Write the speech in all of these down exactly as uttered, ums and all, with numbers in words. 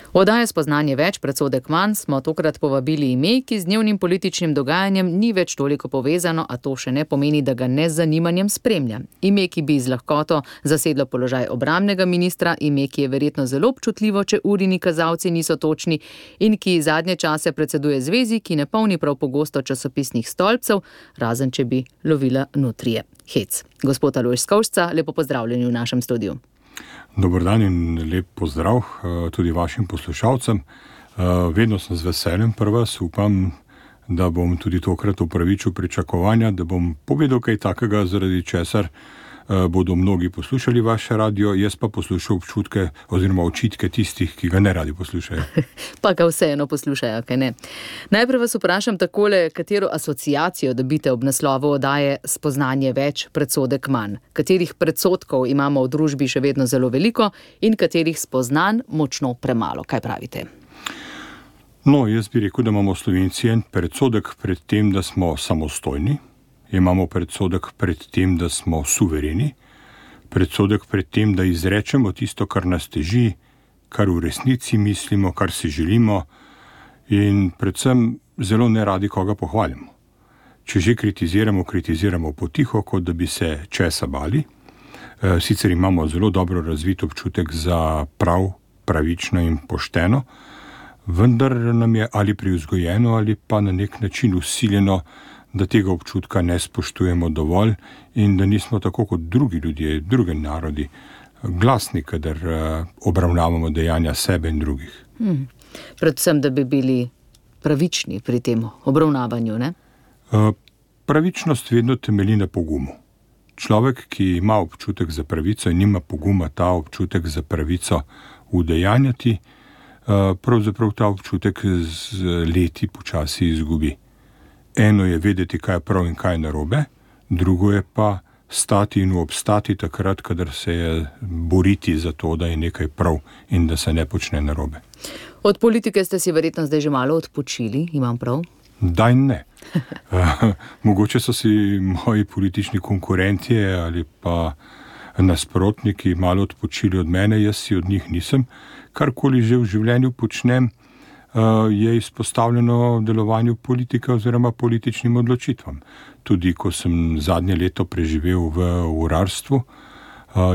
V oddaji Spoznanje več, predsodek manj smo tokrat povabili ime, ki z dnevnim političnim dogajanjem ni več toliko povezano, a to še ne pomeni, da ga ne z zanimanjem spremlja. Ime, ki bi z lahkoto zasedlo položaj obrambnega ministra, ime, ki je verjetno zelo občutljivo, če urini kazalci niso točni in ki zadnje čase predseduje zvezi, ki ne polni prav pogosto časopisnih stolpcev, razen če bi lovila nutrije. Hec. Gospod Alojz Skovšca, lepo pozdravljeni v našem studiu. Dober dan in lep pozdrav tudi vašim poslušalcem. Vedno sem z veseljem pri vas, upam, da bom tudi tokrat upravičil pričakovanja, da bom povedal kaj takega, zaradi česar bodo mnogi poslušali vaše radio, jaz pa poslušal občutke oziroma očitke tistih, ki ga ne radi poslušajo. Pa ga vseeno poslušajo, kaj ne. Najprej vas vprašam takole, katero asociacijo dobite ob naslovu oddaje Spoznanje več, predsodek manj. Katerih predsodkov imamo v družbi še vedno zelo veliko in katerih spoznanj močno premalo. Kaj pravite? No, jaz bi rekel, da imamo Slovenci en predsodek pred tem, da smo samostojni. Imamo predsodek pred tem, da smo suvereni, predsodek pred tem, da izrečemo tisto, kar nas teži, kar v resnici mislimo, kar si želimo in predvsem zelo neradi koga pohvalimo. Če že kritiziramo, kritiziramo potiho, kot da bi se česa bali. Sicer imamo zelo dobro razvit občutek za prav, pravično in pošteno, vendar nam je ali privzgojeno ali pa na nek način vsiljeno, da tega občutka ne spoštujemo dovolj in da nismo tako kot drugi ljudje, drugi narodi, glasni, kadar obravnavamo dejanja sebe in drugih. Hmm. Predvsem, da bi bili pravični pri tem obravnavanju, ne? Pravičnost vedno temelji na pogumu. Človek, ki ima občutek za pravico in nima poguma ta občutek za pravico udejanjati, pravzaprav ta občutek z leti počasi izgubi. Eno je vedeti, kaj je prav in kaj je narobe, drugo je pa stati in obstati takrat, kadar se je boriti za to, da je nekaj prav in da se ne počne narobe. Od politike ste si verjetno zdaj že malo odpočili, imam prav? Daj ne. Mogoče so si moji politični konkurentje ali pa nasprotniki malo odpočili od mene, jaz si od njih nisem. Karkoli že v življenju počnem, je izpostavljeno delovanju politike oziroma političnim odločitvam. Tudi ko sem zadnje leto preživel v urarstvu,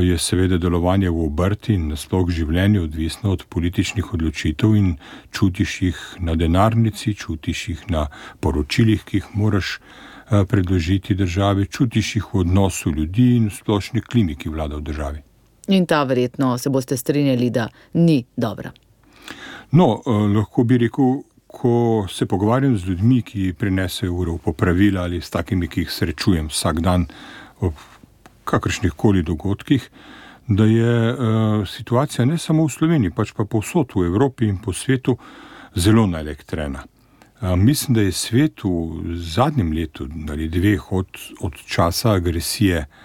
je seveda delovanje v obrti in nasploh življenju odvisno od političnih odločitev in čutiš jih na denarnici, čutiš jih na poročilih, ki jih moraš predložiti državi, čutiš jih v odnosu ljudi in v splošni klimi, ki vlada v državi. In ta verjetno se boste strinjali, da ni dobra. No, lahko bi rekel, ko se pogovarjam z ljudmi, ki prinesejo uro popravila ali s takimi, ki jih srečujem vsak dan ob kakršnih koli dogodkih, da je uh, situacija ne samo v Sloveniji, pač pa povsod v Evropi in po svetu zelo naelektrena. Uh, mislim, da je svet v zadnjem letu ali dveh od, od časa agresije uh,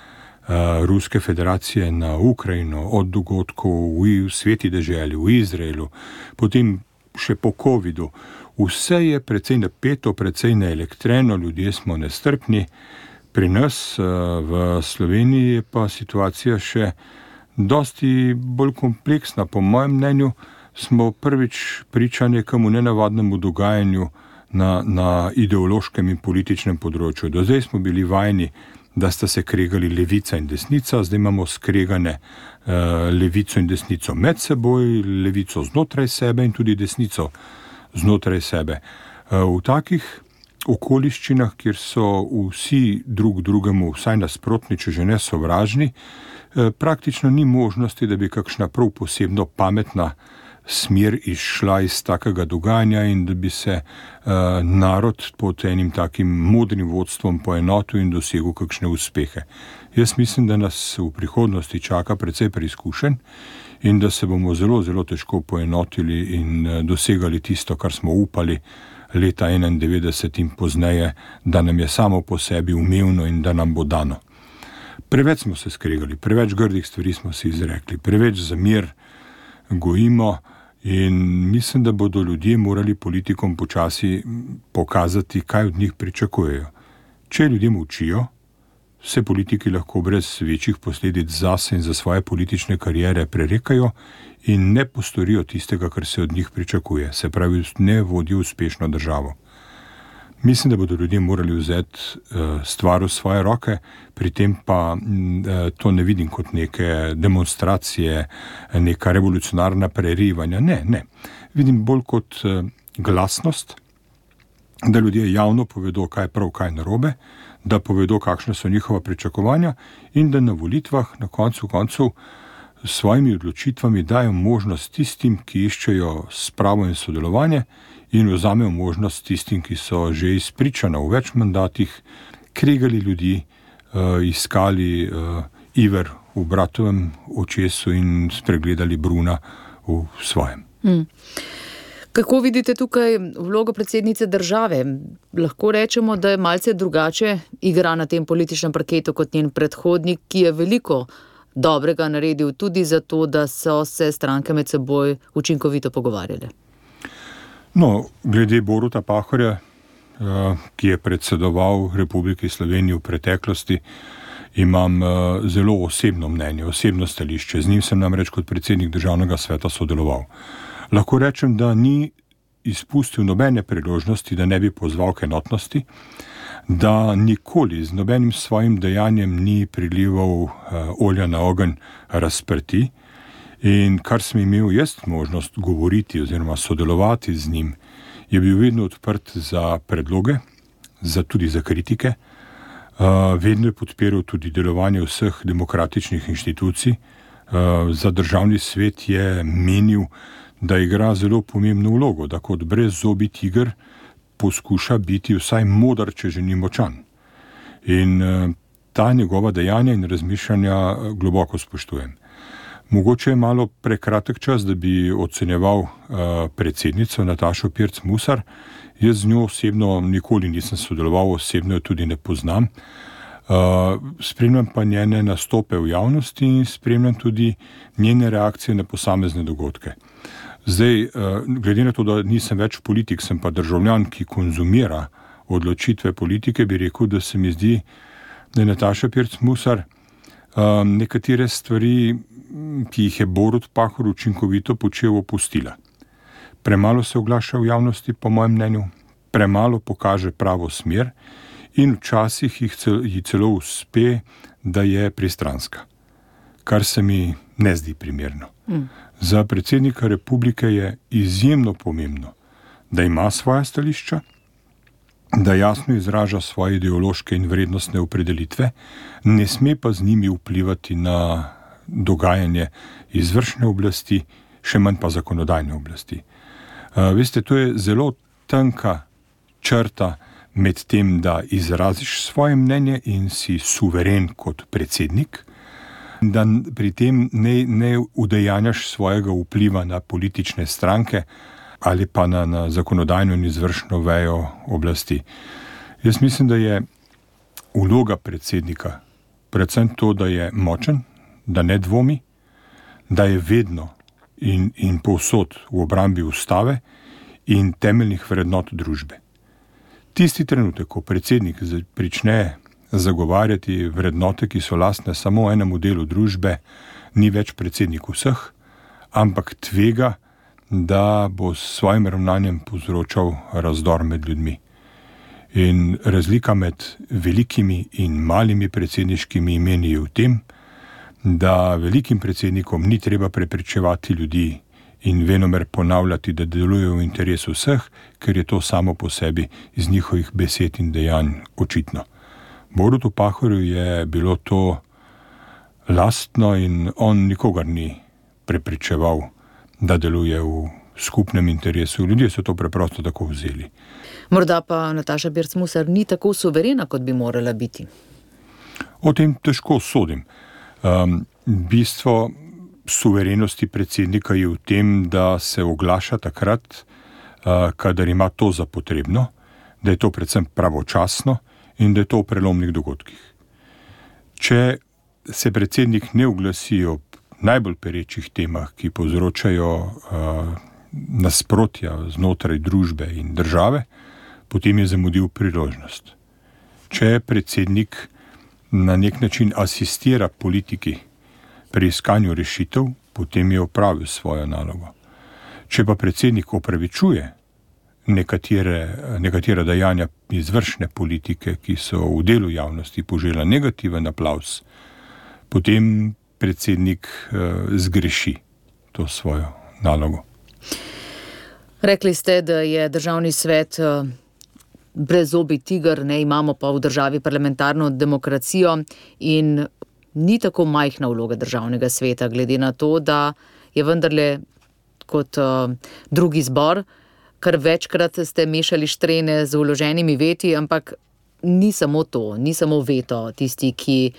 Ruske federacije na Ukrajino, od dogodkov v, v sveti deželi, v Izraelu, potem še po covidu. Vse je precej napeto, precej naelektreno, ljudje smo nestrpni. Pri nas v Sloveniji je pa situacija še dosti bolj kompleksna. Po mojem mnenju smo prvič priča nekemu nenavadnemu dogajanju na, na ideološkem in političnem področju. Do zdaj smo bili vajeni, da sta se kregali levica in desnica, zdaj imamo skregane uh, levico in desnico med seboj, levico znotraj sebe in tudi desnico znotraj sebe. Uh, v takih okoliščinah, kjer so vsi drug drugemu vsaj nasprotni, če že ne sovražni, eh, praktično ni možnosti, da bi kakšna prav posebno pametna smer izšla iz takega dogajanja in da bi se eh, narod pod enim takim modrim vodstvom poenotil in dosegel kakšne uspehe. Jaz mislim, da nas v prihodnosti čaka precej preizkušenj in da se bomo zelo, zelo težko poenotili in eh, dosegali tisto, kar smo upali leta enaindevetdeset in pozneje, da nam je samo po sebi umevno in da nam bo dano. Preveč smo se skregali, preveč grdih stvari smo si izrekli, preveč za mir gojimo in mislim, da bodo ljudje morali politikom počasi pokazati, kaj od njih pričakujejo. Če ljudje molčijo, se politiki lahko brez večjih posledic zase in za svoje politične kariere prerekajo in ne postorijo tistega, kar se od njih pričakuje, se pravi, ne vodijo uspešno državo. Mislim, da bodo ljudje morali vzeti uh, stvar v svoje roke, pri tem pa uh, to ne vidim kot neke demonstracije, neka revolucionarna prerivanja. Ne, ne. Vidim bolj kot uh, glasnost, da ljudje javno povedo, kaj je prav, kaj je narobe, da povedo, kakšne so njihova pričakovanja in da na volitvah na koncu koncev s svojimi odločitvami dajo možnost tistim, ki iščejo spravo in sodelovanje, in vzamejo možnost tistim, ki so že izpričano v več mandatih kregali ljudi, uh, iskali uh, iver v bratovem očesu in spregledali Bruna v svojem. Hmm. Kako vidite tukaj vlogo predsednice države? Lahko rečemo, da je malce drugače igra na tem političnem parketu kot njen predhodnik, ki je veliko dobrega naredil tudi zato, da so se stranke med seboj učinkovito pogovarjale. No, glede Boruta Pahorja, ki je predsedoval Republiki Sloveniji v preteklosti, imam zelo osebno mnenje, osebno stališče. Z njim sem namreč kot predsednik Državnega sveta sodeloval. Lahko rečem, da ni izpustil nobene priložnosti, da ne bi pozval k enotnosti, da nikoli z nobenim svojim dejanjem ni prilival olja na ogenj razprti. In kar sem imel jaz možnost govoriti oziroma sodelovati z njim, je bil vedno odprt za predloge, za tudi za kritike. Vedno je podpiral tudi delovanje vseh demokratičnih inštitucij. Za državni svet je menil, da igra zelo pomembno vlogo, da kot brezzobi tiger poskuša biti vsaj moder, če že ni močan. In ta njegova dejanja in razmišljanja globoko spoštujem. Mogoče je malo prekratek čas, da bi ocenjeval uh, predsednico Natašo Pirc Musar. Jaz z njo osebno nikoli nisem sodeloval, osebno jo tudi ne poznam. Uh, spremljam pa njene nastope v javnosti in spremljam tudi njene reakcije na posamezne dogodke. Zdaj, uh, glede na to, da nisem več politik, sem pa državljan, ki konzumira odločitve politike, bi rekel, da se mi zdi, da je Nataša Pirc Musar uh, nekatere stvari, ki jih je Borut Pahor učinkovito počel, opustila. Premalo se oglaša v javnosti, po mojem mnenju, premalo pokaže pravo smer in včasih jih cel, ji celo uspe, da je pristranska, kar se mi ne zdi primerno. Mm. Za predsednika republike je izjemno pomembno, da ima svoja stališča, da jasno izraža svoje ideološke in vrednostne opredelitve, ne sme pa z njimi vplivati na dogajanje izvršne oblasti, še manj pa zakonodajne oblasti. Uh, veste, to je zelo tanka črta med tem, da izraziš svoje mnenje in si suveren kot predsednik, da pri tem ne, ne udejanjaš svojega vpliva na politične stranke ali pa na, na zakonodajno in izvršno vejo oblasti. Jaz mislim, da je vloga predsednika predvsem to, da je močen, da ne dvomi, da je vedno in, in povsod v obrambi ustave in temeljnih vrednot družbe. Tisti trenutek, ko predsednik prične zagovarjati vrednote, ki so lastne samo enemu delu družbe, ni več predsednik vseh, ampak tvega, da bo s svojim ravnanjem povzročal razdor med ljudmi. In razlika med velikimi in malimi predsedniškimi imeni je v tem, da velikim predsednikom ni treba prepričevati ljudi in venomer ponavljati, da delujejo v interesu vseh, ker je to samo po sebi iz njihovih besed in dejanj očitno. Borutu Pahorju je bilo to lastno in on nikogar ni prepričeval, da deluje v skupnem interesu. Ljudje so to preprosto tako vzeli. Morda pa Nataša Pirc Musar ni tako suverena, kot bi morala biti. O tem težko sodim. Um, bistvo suverenosti predsednika je v tem, da se oglaša takrat, uh, kadar ima to za potrebno, da je to predvsem pravočasno in da je to v prelomnih dogodkih. Če se predsednik ne oglasi ob najbolj perečih temah, ki povzročajo uh, nasprotja znotraj družbe in države, potem je zamudil priložnost. Če predsednik na nek način asistira politiki pri iskanju rešitev, potem je opravil svojo nalogo. Če pa predsednik opravičuje nekatere, nekatere dejanja izvršne politike, ki so v delu javnosti požela negativen aplavz, potem predsednik eh, zgreši to svojo nalogo. Rekli ste, da je državni svet eh, brezzobi tiger, ne, imamo pa v državi parlamentarno demokracijo in ni tako majhna vloga državnega sveta, glede na to, da je vendarle kot uh, drugi zbor, kar večkrat ste mešali štrene z vloženimi veti, ampak ni samo to, ni samo veto tisti, ki,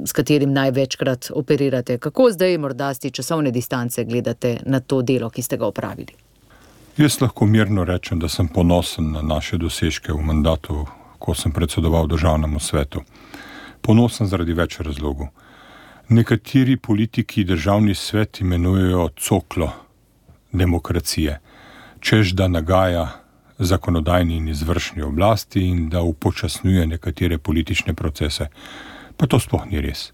s katerim največkrat operirate. Kako zdaj morda z časovne distance gledate na to delo, ki ste ga opravili? Jaz lahko mirno rečem, da sem ponosen na naše dosežke v mandatu, ko sem predsedoval državnemu svetu. Ponosen zaradi več razlogov. Nekateri politiki državni svet imenujejo coklo demokracije, čež da nagaja zakonodajni in izvršni oblasti in da upočasnjuje nekatere politične procese. Pa to sploh ni res.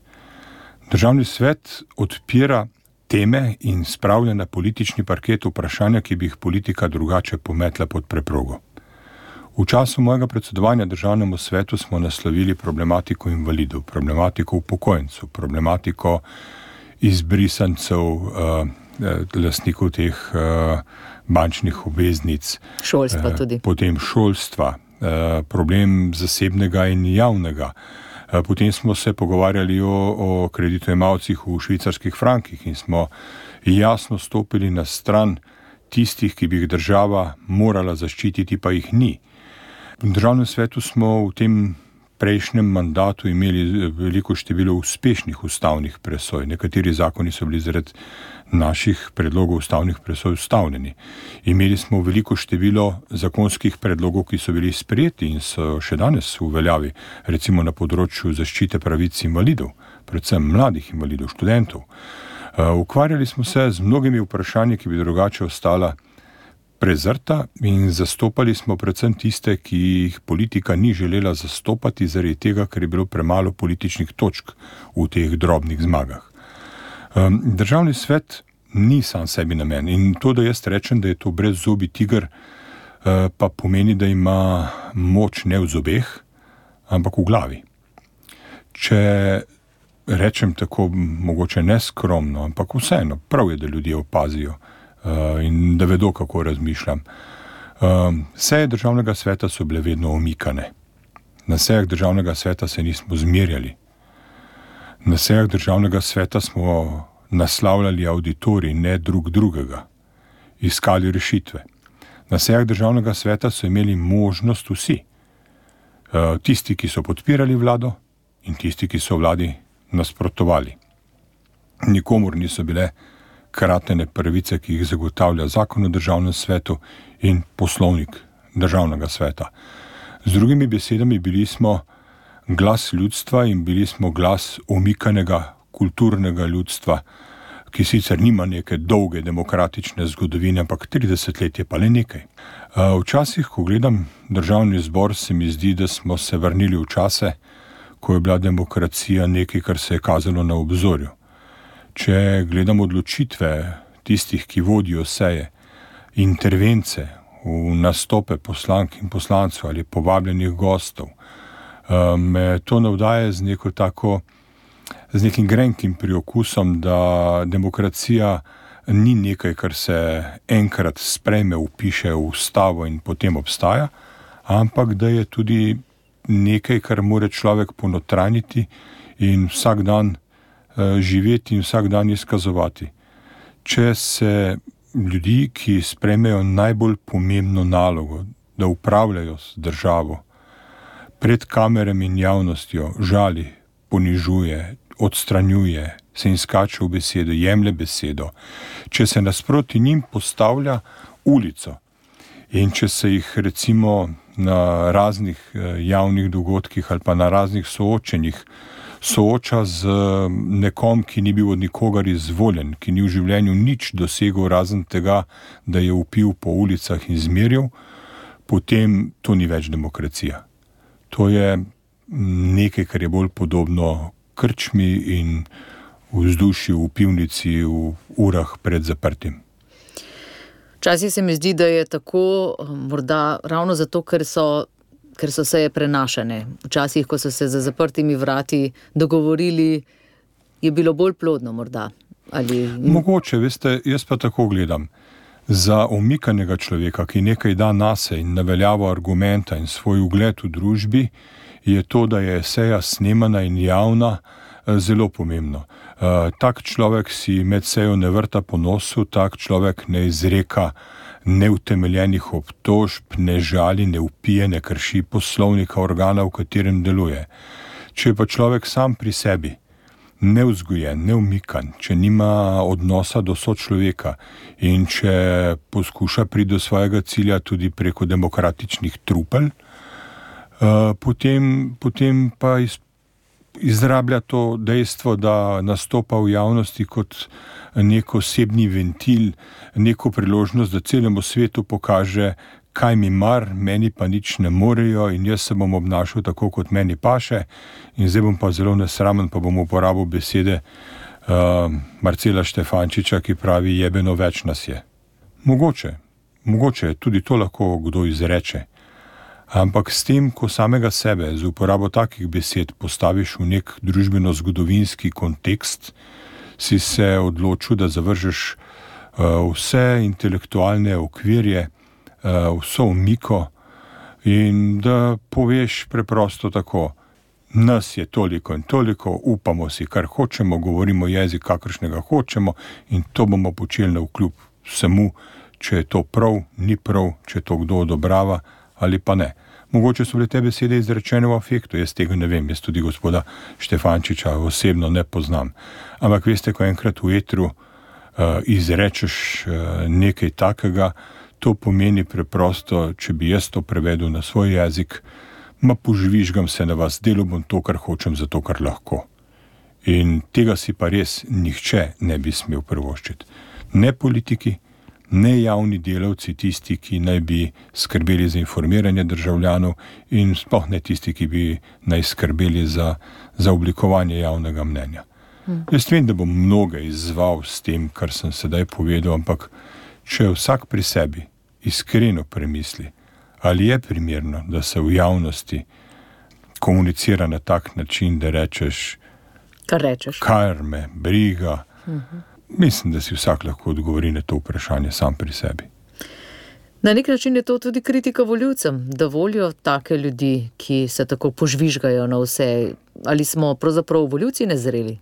Državni svet odpira teme in spravlja na politični parket vprašanja, ki bi jih politika drugače pometla pod preprogo. V času mojega predsedovanja državnemu svetu smo naslovili problematiko invalidov, problematiko upokojencev, problematiko izbrisancev, uh, lastnikov teh uh, bančnih obveznic, šolstva tudi. Uh, potem šolstva, uh, problem zasebnega in javnega. Uh, potem smo se pogovarjali o, o kreditojemalcih v švicarskih frankih in smo jasno stopili na stran tistih, ki bi jih država morala zaščititi, pa jih ni. V državnem svetu smo v tem prejšnjem mandatu imeli veliko število uspešnih ustavnih presoj. Nekateri zakoni so bili zaradi naših predlogov ustavnih presoj ustavljeni. Imeli smo veliko število zakonskih predlogov, ki so bili sprejeti in so še danes v veljavi, recimo na področju zaščite pravic invalidov, predvsem mladih invalidov, študentov. Ukvarjali smo se z mnogimi vprašanji, ki bi drugače ostala prezrta in zastopali smo predvsem tiste, ki jih politika ni želela zastopati zaradi tega, ker je bilo premalo političnih točk v teh drobnih zmagah. Državni svet ni sam sebi namen in to, da jaz rečem, da je to brezzobi tiger, pa pomeni, da ima moč ne v zobeh, ampak v glavi. Če rečem tako mogoče neskromno, ampak vseeno, prav je, da ljudje opazijo in da vedo, kako razmišljam. Seje državnega sveta so bile vedno omikane. Na sejah državnega sveta se nismo zmerjali. Na sejah državnega sveta smo naslavljali auditorij, ne drug drugega. Iskali rešitve. Na sejah državnega sveta so imeli možnost vsi. Tisti, ki so podpirali vlado in tisti, ki so vladi nasprotovali. Nikomur niso bile kratene pravice, ki jih zagotavlja zakon o državnem svetu in poslovnik državnega sveta. Z drugimi besedami, bili smo glas ljudstva in bili smo glas omikanega kulturnega ljudstva, ki sicer nima neke dolge demokratične zgodovine, ampak trideset let je pa le nekaj. Včasih, ko gledam državni zbor, se mi zdi, da smo se vrnili v čase, ko je bila demokracija nekaj, kar se je kazalo na obzorju. Če gledam odločitve tistih, ki vodijo seje, intervence v nastope poslank in poslancev ali povabljenih gostov, me to navdaja z neko tako, z nekim grenkim priokusom, da demokracija ni nekaj, kar se enkrat sprejme, vpiše v ustavo in potem obstaja, ampak da je tudi nekaj, kar mora človek ponotranjiti in vsak dan živeti in vsak dan izkazovati. Če se ljudi, ki sprejmejo najbolj pomembno nalogo, da upravljajo z državo, pred kamerami in javnostjo žali, ponižuje, odstranjuje, se jim skače v besedo, jemlje besedo, če se nasproti njim postavlja ulico in če se jih recimo na raznih javnih dogodkih ali pa na raznih soočenjih sooča z nekom, ki ni bil od nikogar izvoljen, ki ni v življenju nič dosegel razen tega, da je vpil po ulicah in zmerjal, potem to ni več demokracija. To je nekaj, kar je bolj podobno krčmi in vzdušju v pivnici v urah pred zaprtim. Včasih se mi zdi, da je tako, morda ravno zato, ker so, ker so seje prenašane. Včasih, ko so se za zaprtimi vrati dogovorili, je bilo bolj plodno morda. Ali... Mogoče, veste, jaz pa tako gledam. Za omikanega človeka, ki nekaj da nase in naveljavo argumenta in svoj ugled v družbi, je to, da je seja snemana in javna, zelo pomembno. Tak človek si med sejo ne vrta po nosu, tak človek ne izreka neutemeljenih obtožb, ne žali, ne vpije, ne krši poslovnika organa, v katerem deluje. Če je pa človek sam pri sebi, nevzgojen, neumikan, če nima odnosa do sočloveka in če poskuša priti do svojega cilja tudi preko demokratičnih trupel, potem, potem pa iz izrablja to dejstvo, da nastopa v javnosti kot nek osebni ventil, neko priložnost, da celemu svetu pokaže, kaj mi mar, meni pa nič ne morejo in jaz se bom obnašal tako, kot meni paše in zdaj bom pa zelo nesramen, pa bom uporabil besede uh, Marcela Štefančiča, ki pravi, jebeno več nas je. Mogoče, mogoče tudi to lahko kdo izreče. Ampak s tem, ko samega sebe z uporabo takih besed postaviš v nek družbeno-zgodovinski kontekst, si se odločil, da zavržeš uh, vse intelektualne okvirje, uh, vso omiko in da poveš preprosto tako, nas je toliko in toliko, upamo si, kar hočemo, govorimo jezik, kakršnega hočemo in to bomo počeli navkljub vsemu, če je to prav, ni prav, če to kdo odobrava ali pa ne. Mogoče so bile te besede izrečene v afektu, jaz tega ne vem, jaz tudi gospoda Štefančiča osebno ne poznam. Ampak veste, ko enkrat v etru uh, izrečeš uh, nekaj takega, to pomeni preprosto, če bi jaz to prevedel na svoj jezik, ma požvižgam se na vas, delo bom to, kar hočem, zato kar lahko. In tega si pa res nihče ne bi smel privoščiti. Ne politiki, ne javni delavci, tisti, ki naj bi skrbeli za informiranje državljanov in sploh ne tisti, ki bi naj skrbeli za, za oblikovanje javnega mnenja. Hmm. Jaz vem, da bom mnoge izzval s tem, kar sem sedaj povedal, ampak če vsak pri sebi iskreno premisli, ali je primerno, da se v javnosti komunicira na tak način, da rečeš, kar rečeš, kar me briga, hmm. Mislim, da si vsak lahko odgovori na to vprašanje sam pri sebi. Na nek način je to tudi kritika volivcem, da volijo take ljudi, ki se tako požvižgajo na vse. Ali smo pravzaprav volivci nezreli?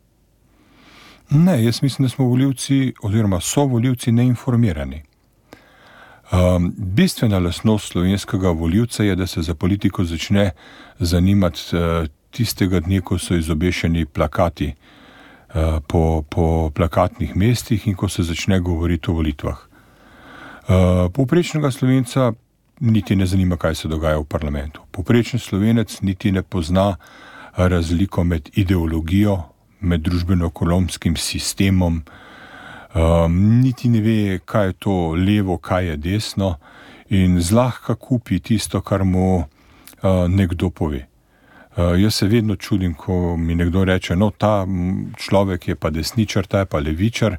Ne, jaz mislim, da smo volivci oziroma so volivci neinformirani. Um, bistvena lastnost slovenskega volivca je, da se za politiko začne zanimati uh, tistega dne, ko so izobešeni plakati Po, po plakatnih mestih in ko se začne govoriti o volitvah. Povprečnega Slovenca niti ne zanima, kaj se dogaja v parlamentu. Povprečen Slovenec niti ne pozna razliko med ideologijo, med družbeno-ekonomskim sistemom, niti ne ve, kaj je to levo, kaj je desno in zlahka kupi tisto, kar mu nekdo pove. Uh, jaz se vedno čudim, ko mi nekdo reče, no, ta človek je pa desničar, ta je pa levičar,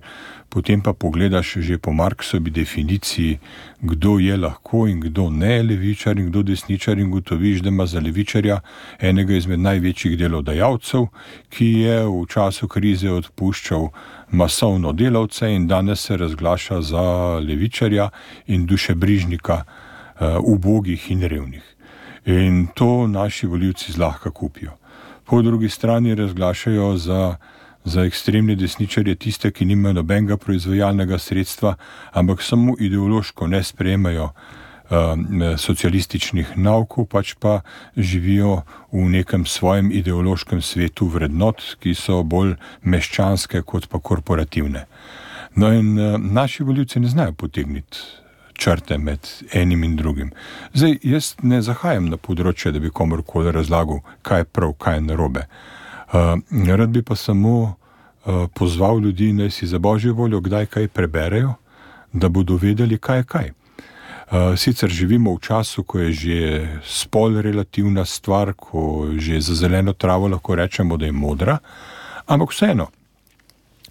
potem pa pogledaš že po Marksovi definiciji, kdo je lahko in kdo ne levičar in kdo desničar in gotoviš, da ima za levičarja enega izmed največjih delodajalcev, ki je v času krize odpuščal masovno delavce in danes se razglaša za levičarja in dušebrižnika uh, ubogih in revnih. In to naši volivci zlahka kupijo. Po drugi strani razglašajo za, za ekstremne desničarje tiste, ki nimajo nobenega proizvajalnega sredstva, ampak samo ideološko ne sprejemajo um, socialističnih naukov, pač pa živijo v nekem svojem ideološkem svetu vrednot, ki so bolj meščanske kot pa korporativne. No in uh, naši volivci ne znajo potegniti črte med enim in drugim. Zdaj, jaz ne zahajam na področje, da bi komorkoli razlagal, kaj je prav, kaj je narobe. Uh, rad bi pa samo uh, pozval ljudi, naj si za božjo voljo kdaj kaj preberejo, da bodo vedeli, kaj je kaj. Sicer živimo v času, ko je že spol relativna stvar, ko že za zeleno travo lahko rečemo, da je modra, ampak vseeno,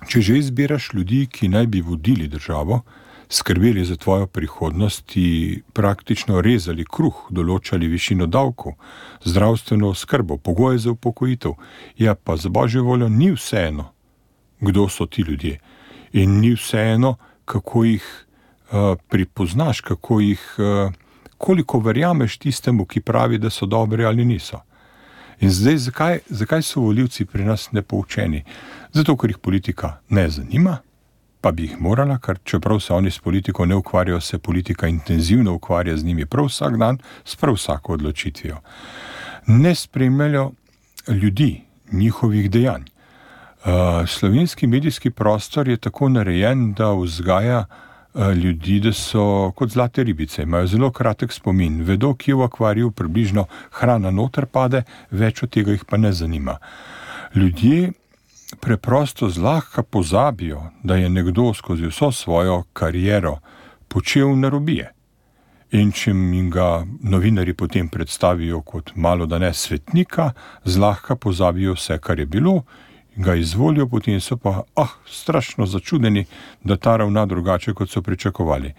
če že izbiraš ljudi, ki naj bi vodili državo, skrbeli za tvojo prihodnost, ti praktično rezali kruh, določali višino davkov, zdravstveno oskrbo, pogoje za upokojitev, ja pa za božjo voljo ni vseeno, kdo so ti ljudje in ni vseeno, kako jih uh, pripoznaš, kako jih, uh, koliko verjameš tistemu, ki pravi, da so dobri ali niso. In zdaj, zakaj, zakaj so volivci pri nas nepoučeni? Zato, ker jih politika ne zanima, pa bi jih morala, ker čeprav se oni s politiko ne ukvarjajo, se politika intenzivno ukvarja z njimi prav vsak dan, s prav vsako odločitvijo. Ne spremljajo ljudi, njihovih dejanj. Uh, slovenski medijski prostor je tako narejen, da vzgaja uh, ljudi, da so kot zlate ribice, imajo zelo kratek spomin, vedo, kje v akvariju približno hrana noter pade, več od tega jih pa ne zanima. Ljudje preprosto zlahka pozabijo, da je nekdo skozi vso svojo kariero počel narobije. In če jim ga novinarji potem predstavijo kot malo da ne svetnika, zlahka pozabijo vse, kar je bilo, ga izvolijo, potem so pa ah, strašno začudeni, da ta ravna drugače, kot so pričakovali.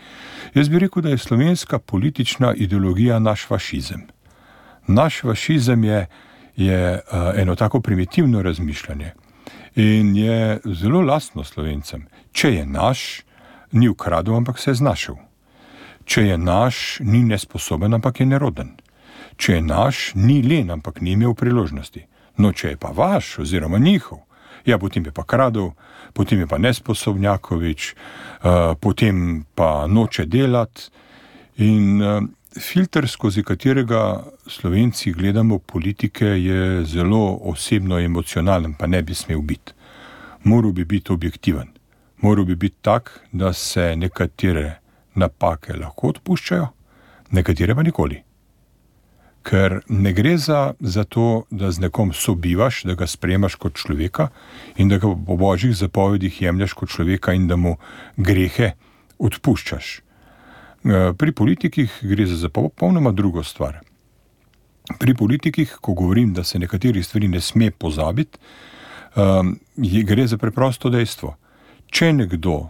Jaz bi rekel, da je slovenska politična ideologija naš fašizem. Naš fašizem je, je uh, eno tako primitivno razmišljanje. In je zelo lastno Slovencem. Če je naš, ni ukradel, ampak se je znašel. Če je naš, ni nesposoben, ampak je neroden. Če je naš, ni len, ampak ni imel priložnosti. No, če je pa vaš, oziroma njihov, ja, potem je pa kradel, potem je pa nesposobnjakovič, uh, potem pa noče delati. In uh, filter, skozi katerega Slovenci gledamo politike, je zelo osebno emocionalen, pa ne bi smel biti. Moral bi biti objektiven. Moral bi biti tak, da se nekatere napake lahko odpuščajo, nekatere pa nikoli. Ker ne gre za, za to, da z nekom sobivaš, da ga sprejemaš kot človeka in da ga po božjih zapovedih jemlješ kot človeka in da mu grehe odpuščaš. Pri politikih gre za popolnoma drugo stvar. Pri politikih, ko govorim, da se nekaterih stvari ne sme pozabiti, um, gre za preprosto dejstvo. Če nekdo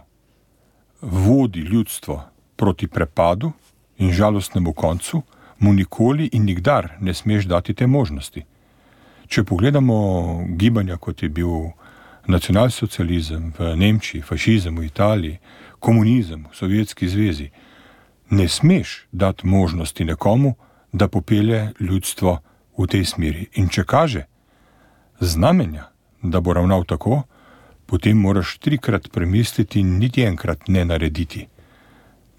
vodi ljudstvo proti prepadu in žalostnemu koncu, mu nikoli in nikdar ne smeš dati te možnosti. Če pogledamo gibanja, kot je bil nacionalsocializem v Nemčiji, fašizem v Italiji, komunizem v Sovjetski zvezi, ne smeš dati možnosti nekomu, da popelje ljudstvo v tej smeri. In če kaže znamenja, da bo ravnal tako, potem moraš trikrat premisliti in niti enkrat ne narediti,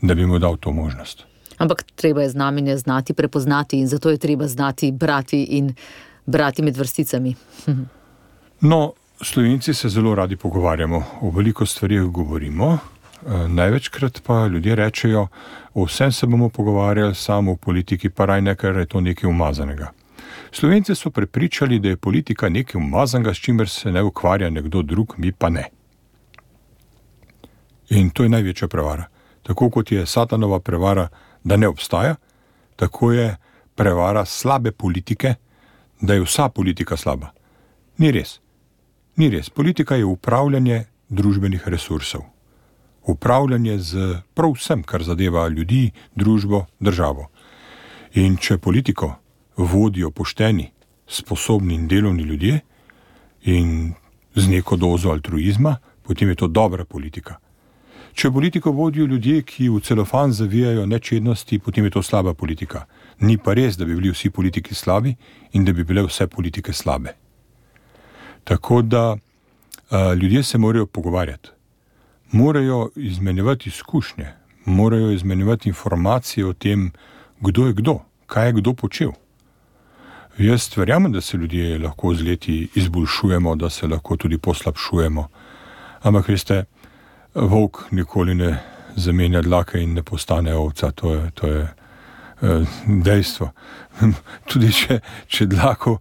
da bi mu dal to možnost. Ampak treba je znamenje znati prepoznati in zato je treba znati brati in brati med vrsticami. No, Slovenci se zelo radi pogovarjamo, o veliko stvarih govorimo, največkrat pa ljudje rečejo, o vsem se bomo pogovarjali, samo v politiki pa raj nekaj, je to nekaj umazanega. Slovenci so prepričali, da je politika nekaj umazanega, s čimer se ne ukvarja nekdo drug, mi pa ne. In to je največja prevara. Tako kot je satanova prevara, da ne obstaja, tako je prevara slabe politike, da je vsa politika slaba. Ni res. Ni res. Politika je upravljanje družbenih resursov. Upravljanje z prav vsem, kar zadeva ljudi, družbo, državo. In če politiko vodijo pošteni, sposobni in delovni ljudje in z neko dozo altruizma, potem je to dobra politika. Če politiko vodijo ljudje, ki v celofan zavijajo nečednosti, potem je to slaba politika. Ni pa res, da bi bili vsi politiki slabi in da bi bile vse politike slabe. Tako da a, ljudje se morajo pogovarjati. Morajo izmenjevati izkušnje, morajo izmenjevati informacije o tem, kdo je kdo, kaj je kdo počel. Jaz verjamem, da se ljudje lahko z leti izboljšujemo, da se lahko tudi poslabšujemo. Ampak veste, volk nikoli ne zamenja dlake in ne postane ovca, to je, to je eh, dejstvo. Tudi če, če dlako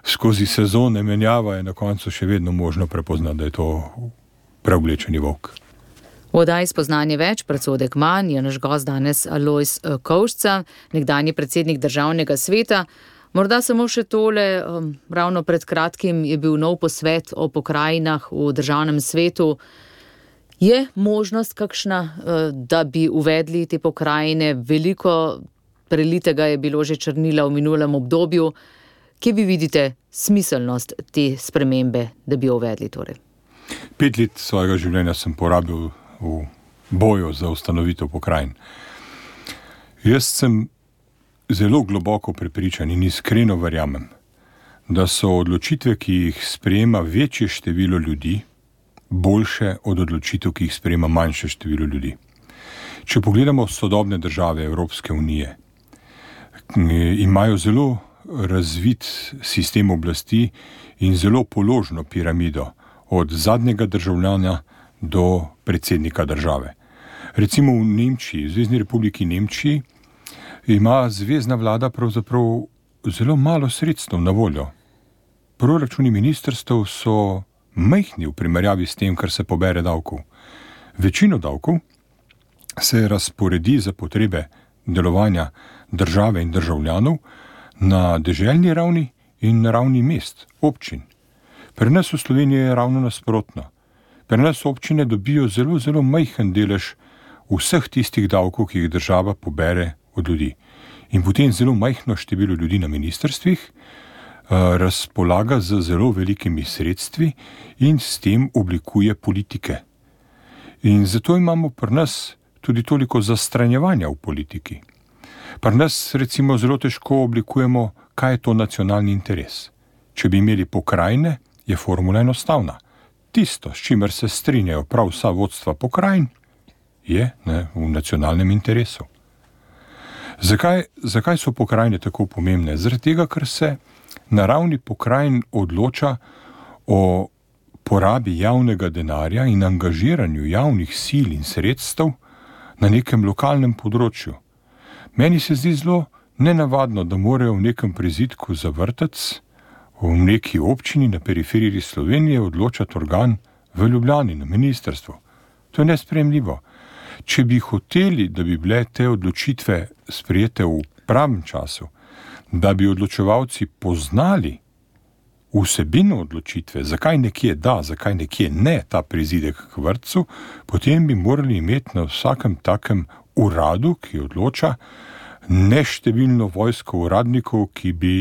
skozi sezone menjava, je na koncu še vedno možno prepoznati, da je to preoblečeni volk. V oddaji Spoznanje več, predsodek manj, je naš gost danes Alojz Kovšca, nekdanji predsednik Državnega sveta. Morda samo še tole, ravno pred kratkim je bil nov posvet o pokrajinah v Državnem svetu. Je možnost kakšna, da bi uvedli te pokrajine? Veliko prelitega je bilo že črnila v minulem obdobju. Kje vi vidite smiselnost te spremembe, da bi jo uvedli torej? Pet let svojega življenja sem porabil v boju za ustanovitev pokrajin. Jaz sem zelo globoko prepričan in iskreno verjamem, da so odločitve, ki jih sprejema večje število ljudi, boljše od odločitev, ki jih sprejema manjše število ljudi. Če pogledamo sodobne države Evropske unije, imajo zelo razvit sistem oblasti in zelo položno piramido od zadnjega državljana do predsednika države. Recimo v Nemčiji, v Zvezni republiki Nemčiji, ima zvezna vlada pravzaprav zelo malo sredstev na voljo. Proračuni ministrstev so majhni v primerjavi s tem, kar se pobere davkov. Večino davkov se razporedi za potrebe delovanja države in državljanov na deželni ravni in na ravni mest, občin. Pri nas v Sloveniji je ravno nasprotno. Pri nas občine dobijo zelo, zelo majhen delež vseh tistih davkov, ki jih država pobere od ljudi. In potem zelo majhno število ljudi na ministrstvih uh, razpolaga z zelo velikimi sredstvi in s tem oblikuje politike. In zato imamo pri nas tudi toliko zastranjevanja v politiki. Pri nas recimo zelo težko oblikujemo, kaj je to nacionalni interes. Če bi imeli pokrajine, je formula enostavna. Tisto, s čimer se strinjajo prav vsa vodstva pokrajin, je ne, v nacionalnem interesu. Zakaj, zakaj so pokrajine tako pomembne? Zaradi tega, ker se na ravni pokrajin odloča o porabi javnega denarja in angažiranju javnih sil in sredstev na nekem lokalnem področju. Meni se zdi zelo nenavadno, da morajo v nekem prizidku za vrtec v neki občini na periferiji Slovenije odločati organ v Ljubljani, na ministrstvu. To je nesprejemljivo. Če bi hoteli, da bi bile te odločitve sprejete v pravem času, da bi odločevalci poznali vsebino odločitve, zakaj nekje da, zakaj nekje ne ta prizidek k vrtcu, potem bi morali imeti na vsakem takem uradu, ki odloča, neštevilno vojsko uradnikov, ki bi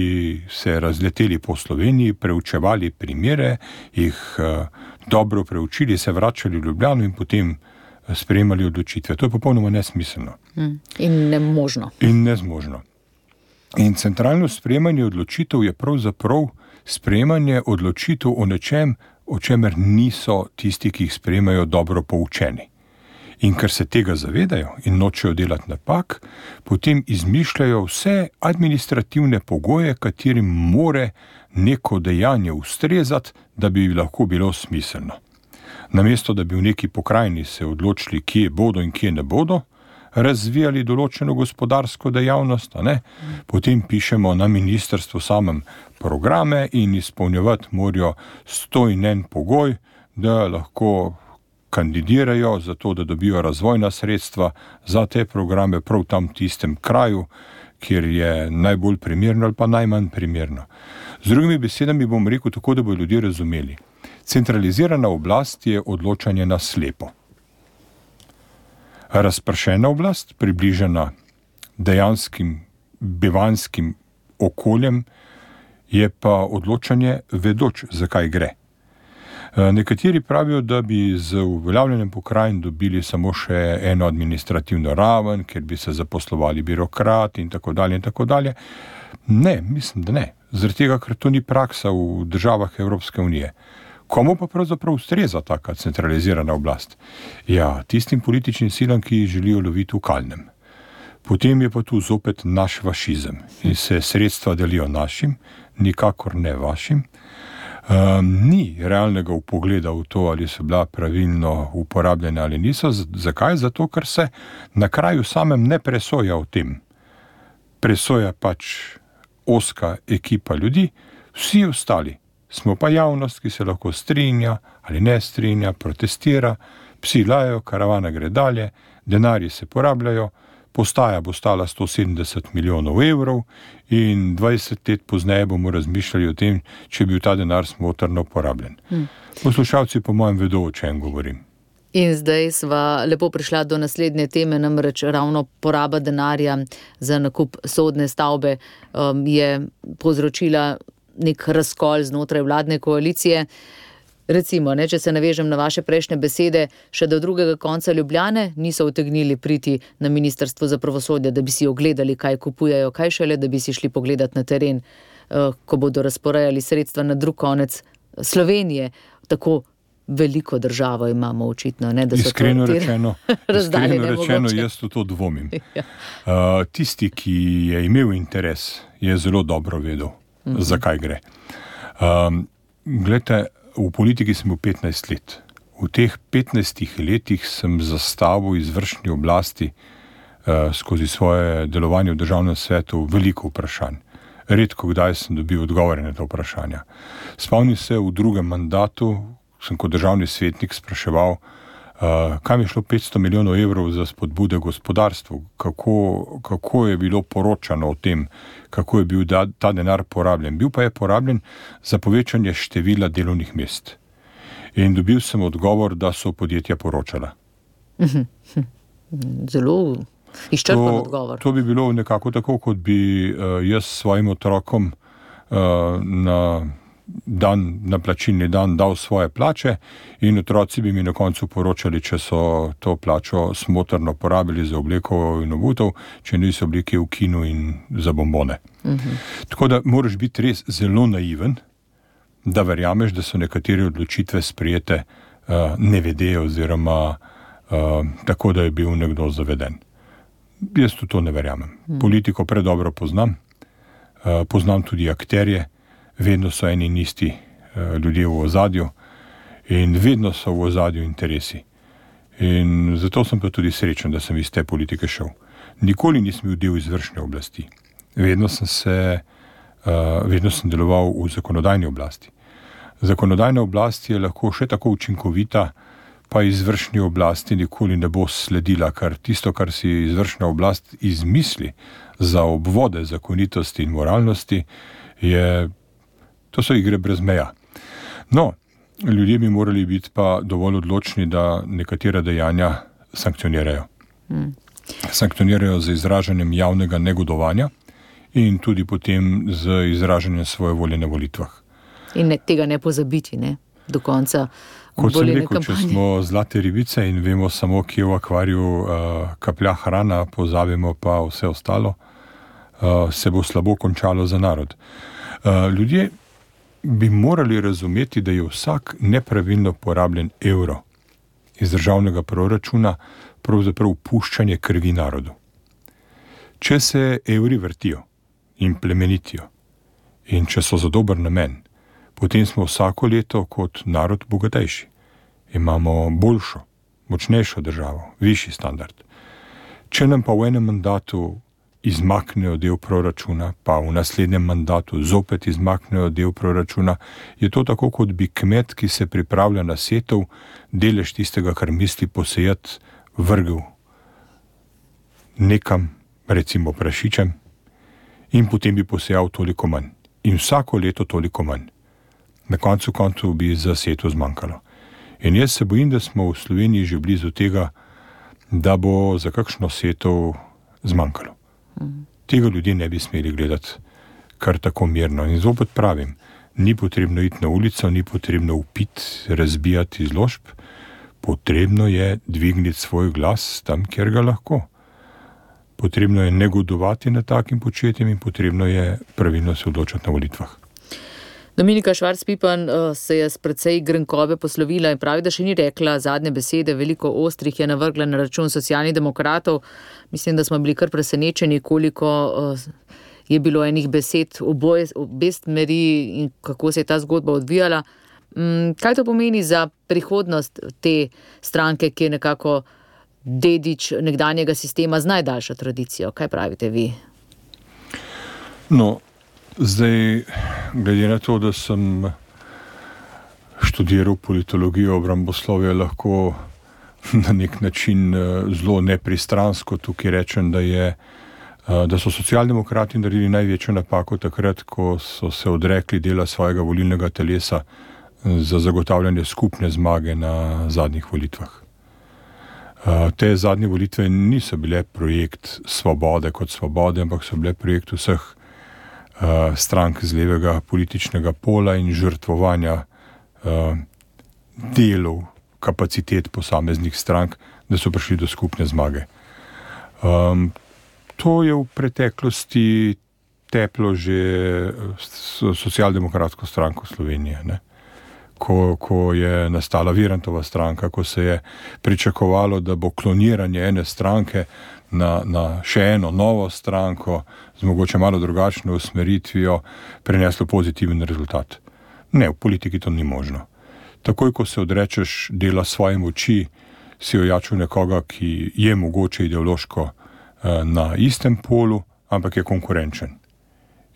se razleteli po Sloveniji, preučevali primere, jih uh, dobro preučili, se vračali v Ljubljano in potem sprejemali odločitve. To je popolnoma nesmiselno. In nemožno. In nezmožno. In centralno sprejemanje odločitev je pravzaprav sprejemanje odločitev o nečem, o čemer niso tisti, ki jih sprejemajo, dobro poučeni. In ker se tega zavedajo in nočejo delati napak, potem izmišljajo vse administrativne pogoje, katerim more neko dejanje ustrezati, da bi lahko bilo smiselno. Namesto, da bi v neki pokrajini se odločili, kje bodo in kje ne bodo, razvijali določeno gospodarsko dejavnost, a ne? Potem pišemo na ministrstvu samem programe in izpolnjevati morajo sto in en pogoj, da lahko kandidirajo za to, da dobijo razvojna sredstva za te programe prav tam v tistem kraju, kjer je najbolj primerno ali pa najmanj primerno. Z drugimi besedami bom rekel tako, da bodo ljudje razumeli. Centralizirana oblast je odločanje na slepo. Razpršena oblast, približana dejanskim bivanskim okoljem, je pa odločanje vedoč, zakaj gre. Nekateri pravijo, da bi z uveljavljanjem pokrajin dobili samo še eno administrativno raven, ker bi se zaposlovali birokrati in tako dalje in tako dalje. Ne, mislim, da ne. Zaradi tega, ker to ni praksa v državah Evropske unije. Komu pa pravzaprav ustreza taka centralizirana oblast? Ja, tistim političnim silam, ki želijo loviti v kalnem. Potem je pa tu zopet naš fašizem in se sredstva delijo našim, nikakor ne vašim. Um, ni realnega vpogleda v to, ali so bila pravilno uporabljene ali niso. Z- zakaj? Zato, ker se na kraju samem ne presoja o tem. Presoja pač ozka ekipa ljudi, vsi ostali smo pa javnost, ki se lahko strinja ali ne strinja, protestira, Psi lajajo, karavana gre dalje, denarji se porabljajo, postaja bo stala sto sedemdeset milijonov evrov in dvajset let pozneje bomo razmišljali o tem, če bi bil ta denar smotrno porabljen. Hmm. Poslušalci po mojem vedo, o čem govorim. In zdaj sva lepo prišla do naslednje teme, namreč ravno poraba denarja za nakup sodne stavbe um, je povzročila nek razkol znotraj vladne koalicije. Recimo, ne, če se navežem na vaše prejšnje besede, še do drugega konca Ljubljane niso utegnili priti na Ministrstvo za pravosodje, da bi si ogledali, kaj kupujejo, kaj šele, da bi si šli pogledati na teren, uh, ko bodo razporejali sredstva na drug konec Slovenije. Tako veliko državo imamo očitno, ne, da so iskreno to rečeno, iskreno rečeno, jaz v to dvomim. Ja. Uh, tisti, ki je imel interes, je zelo dobro vedel, mm-hmm. zakaj gre. Um, glejte, v politiki sem bil petnajst let. V teh petnajstih letih sem zastavil izvršni oblasti uh, skozi svoje delovanje v državnem svetu veliko vprašanj. Redko kdaj sem dobil odgovore na to vprašanja. Spomnim se, v drugem mandatu sem kot državni svetnik spraševal, uh, kam je šlo petsto milijonov evrov za spodbude gospodarstvu, kako, kako je bilo poročano o tem, kako je bil da, ta denar porabljen. Bil pa je porabljen za povečanje števila delovnih mest. In dobil sem odgovor, da so podjetja poročala. Zelo izčrpen odgovor. To bi bilo nekako tako, kot bi uh, jaz svojim otrokom uh, na dan, na plačilni dan dal svoje plače in otroci bi mi na koncu poročali, če so to plačo smotrno porabili za obleko in obutev, če niso obleke v kinu in za bombone. Uh-huh. Tako da moraš biti res zelo naiven, da verjameš, da so nekatere odločitve sprejete uh, nevede oziroma uh, tako, da je bil nekdo zaveden. Jaz v to ne verjamem. Uh-huh. Politiko predobro poznam, uh, poznam tudi akterje, vedno so eni in isti uh, ljudje v ozadju in vedno so v ozadju interesi. In zato sem pa tudi srečen, da sem iz te politike šel. Nikoli nisem bil del izvršne oblasti. Vedno sem se, uh, vedno sem deloval v zakonodajni oblasti. Zakonodajna oblast je lahko še tako učinkovita, pa izvršni oblasti nikoli ne bo sledila, ker tisto, kar si izvršna oblast izmisli za obvode zakonitosti in moralnosti, je to so igre brez meja. No, ljudje bi morali biti pa dovolj odločni, da nekatera dejanja sankcionirajo. Hmm. Sankcionirajo z izražanjem javnega negodovanja in tudi potem z izražanjem svoje volje na volitvah. In ne, tega ne pozabiti, ne, do konca Kot sem rekel, kampanje. Če smo zlate ribice in vemo samo, kje v akvariju uh, kaplja hrana, pozabimo pa vse ostalo, uh, se bo slabo končalo za narod. Uh, ljudje bi morali razumeti, da je vsak nepravilno porabljen evro iz državnega proračuna pravzaprav puščanje krvi narodu. Če se evri vrtijo in plemenitijo in če so za dober namen, potem smo vsako leto kot narod bogatejši. Imamo boljšo, močnejšo državo, višji standard. Če nam pa v enem mandatu izmaknejo del proračuna, pa v naslednjem mandatu zopet izmaknejo del proračuna, je to tako, kot bi kmet, ki se pripravlja na setev, delež tistega, kar misli posejati, vrgel nekam, recimo prašičem, in potem bi posejal toliko manj. In vsako leto toliko manj. Na koncu koncu bi za setev zmanjkalo. In jaz se bojim, da smo v Sloveniji že blizu tega, da bo za kakšno setev zmanjkalo. Tega ljudje ne bi smeli gledati kar tako mirno. In zopet pravim, ni potrebno iti na ulico, ni potrebno upiti, razbijati izložb, potrebno je dvigniti svoj glas tam, kjer ga lahko. Potrebno je negodovati nad takim početjem in potrebno je pravilno se odločati na volitvah. Dominika Švarc-Pipan se je s precej grenkobe poslovila in pravi, da še ni rekla zadnje besede, veliko ostrih je navrgla na račun Socialnih demokratov. Mislim, da smo bili kar presenečeni, koliko je bilo enih besed oboje, obe smeri in kako se je ta zgodba odvijala. Kaj to pomeni za prihodnost te stranke, ki je nekako dedič nekdanjega sistema z najdaljšo tradicijo? Kaj pravite vi? No, zdaj, glede na to, da sem študiral politologijo, obramboslovje, lahko na nek način zelo nepristransko tukaj rečem, da, je, da so socialdemokrati naredili največjo napako takrat, ko so se odrekli dela svojega volilnega telesa za zagotavljanje skupne zmage na zadnjih volitvah. Te zadnje volitve niso bile projekt svobode kot svobode, ampak so bile projekt vseh strank z levega političnega pola in žrtvovanja delov, kapacitet posameznih strank, da so prišli do skupne zmage. Um, to je v preteklosti teplo že socialdemokratsko stranko Slovenije, ne? Ko, ko je nastala Virantova stranka, ko se je pričakovalo, da bo kloniranje ene stranke na, na še eno novo stranko z mogoče malo drugačno usmeritvijo prineslo pozitiven rezultat. Ne, v politiki to ni možno. Takoj, ko se odrečeš dela svoje moči, si ojačil nekoga, ki je mogoče ideološko eh, na istem polu, ampak je konkurenčen.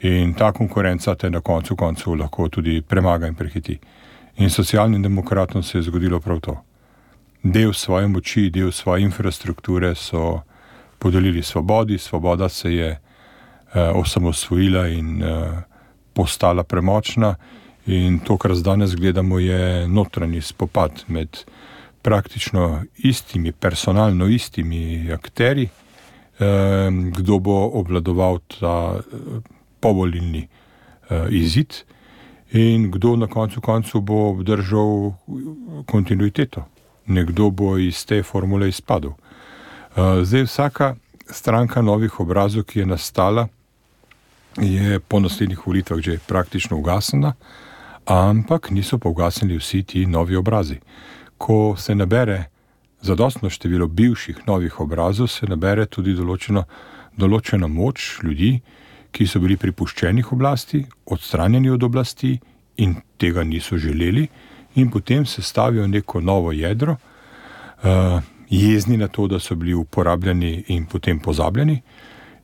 In ta konkurenca te na koncu koncu lahko tudi premaga in prehiti. In socialnim demokratom se je zgodilo prav to. Del svoje moči, del svoje infrastrukture so podelili svobodi, svoboda se je eh, osamosvojila in eh, postala premočna. In to, kar danes gledamo, je notranji spopad med praktično istimi, personalno istimi akteri, eh, kdo bo obvladoval ta povolilni eh, izid in kdo na koncu koncu bo obdržal kontinuiteto. Nekdo bo iz te formule izpadel. Eh, zdaj vsaka stranka novih obrazov, ki je nastala, je po naslednjih volitvah že praktično ugasnjena, ampak niso pa ugasnili vsi ti novi obrazi. Ko se nabere zadostno število bivših novih obrazov, se nabere tudi določeno, določena moč ljudi, ki so bili pripuščenih oblasti, odstranjeni od oblasti in tega niso želeli in potem se stavijo neko novo jedro, uh, jezni na to, da so bili uporabljeni in potem pozabljeni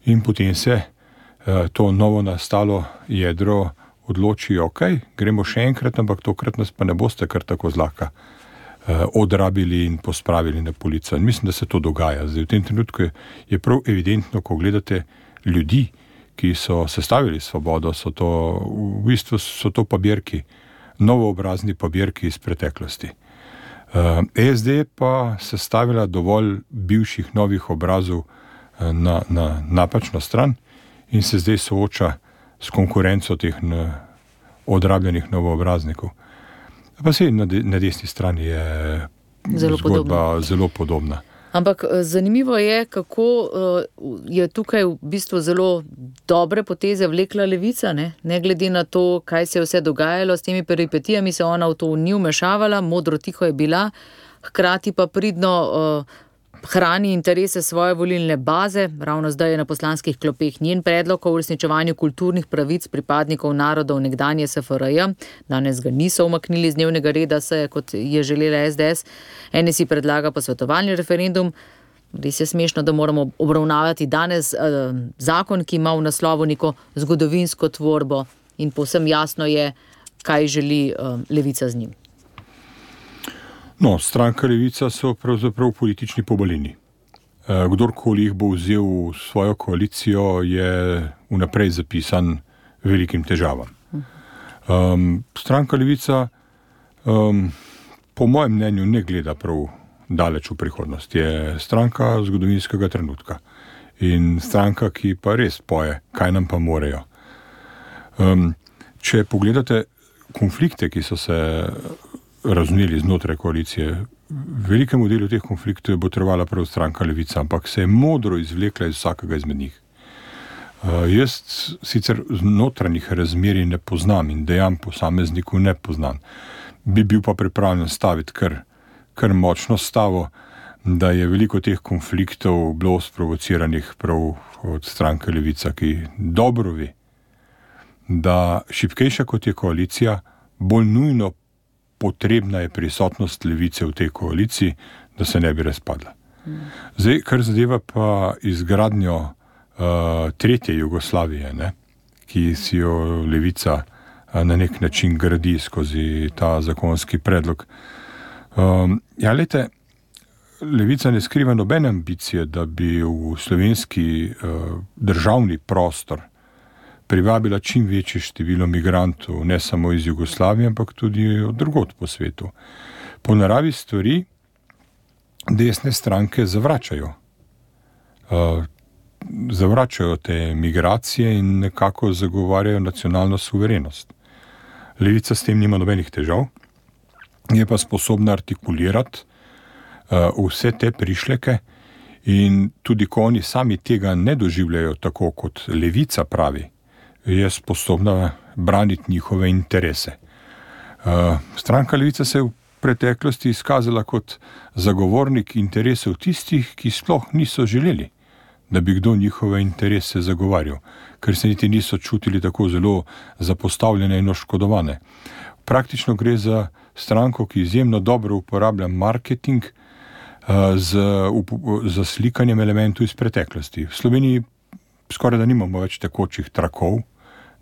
in potem se uh, to novo nastalo jedro odločijo, ok, gremo še enkrat, ampak tokrat nas pa ne boste kar tako zlahka eh, odrabili in pospravili na polico. In mislim, da se to dogaja. Zdaj, v tem trenutku je, je prav evidentno, ko gledate ljudi, ki so sestavili svobodo, so to, v bistvu so to pabirki, novoobrazni pabirki iz preteklosti. Eh, S D pa sestavila dovolj bivših novih obrazov eh, na, na napačno stran in se zdaj sooča s konkurenco teh odrabljenih novoobraznikov. Pa se na, de, na desni strani je zelo zgodba podobna. zelo podobna. Ampak zanimivo je, kako uh, je tukaj v bistvu zelo dobre poteze vlekla levica, ne? Ne glede na to, kaj se je vse dogajalo, s temi peripetijami se ona v to ni vmešavala, modro tiho je bila, hkrati pa pridno uh, hrani interese svoje volilne baze. Ravno zdaj je na poslanskih klopeh njen predlog o uresničevanju kulturnih pravic pripadnikov narodov nekdanje S F R J. Danes ga niso umaknili z dnevnega reda seje, kot je želela S D S. N S I predlaga posvetovalni referendum. Res je smešno, da moramo obravnavati danes eh, zakon, ki ima v naslovu neko zgodovinsko tvorbo in povsem jasno je, kaj želi eh, levica z njim. No, stranka Levica so pravzaprav politični pobalini. Kdorkoli jih bo vzel v svojo koalicijo, je vnaprej zapisan velikim težavam. Um, stranka Levica um, po mojem mnenju ne gleda prav daleč v prihodnost. Je stranka zgodovinskega trenutka in stranka, ki pa res poje, kaj nam pa morejo. Um, če pogledate konflikte, ki so se razumeli znotraj koalicije. Velikemu delu teh konfliktov je botrovala prav stranka Levica, ampak se je modro izvlekla iz vsakega izmed njih. Uh, jaz sicer notranjih razmerij ne poznam in dejanj posamezniku ne poznam. Bi bil pa pripravljen staviti kar, kar močno stavo, da je veliko teh konfliktov bilo sprovociranih prav od stranke Levica, ki dobro ve, da šibkejša kot je koalicija, bolj nujno potrebna je prisotnost Levice v tej koaliciji, da se ne bi razpadla. Zdaj, kar zadeva pa izgradnjo uh, tretje Jugoslavije, ne, ki si jo Levica uh, na nek način gradi skozi ta zakonski predlog. Um, ja, lejte, Levica ne skriva nobene ambicije, da bi v slovenski uh, državni prostor privabila čim večje število migrantov, ne samo iz Jugoslavije, ampak tudi od drugod po svetu. Po naravi stvari desne stranke zavračajo. Uh, zavračajo te migracije in nekako zagovarjajo nacionalno suverenost. Levica s tem nima nobenih težav, je pa sposobna artikulirati uh, vse te prišleke in tudi ko oni sami tega ne doživljajo tako, kot Levica pravi, je sposobna braniti njihove interese. Uh, stranka Levica se je v preteklosti izkazala kot zagovornik interesov tistih, ki sploh niso želeli, da bi kdo njihove interese zagovarjal, ker se niti niso čutili tako zelo zapostavljene in oškodovane. Praktično gre za stranko, ki izjemno dobro uporablja marketing uh, z, up, z slikanjem elementov iz preteklosti. V Sloveniji skoraj da nimamo več tekočih trakov,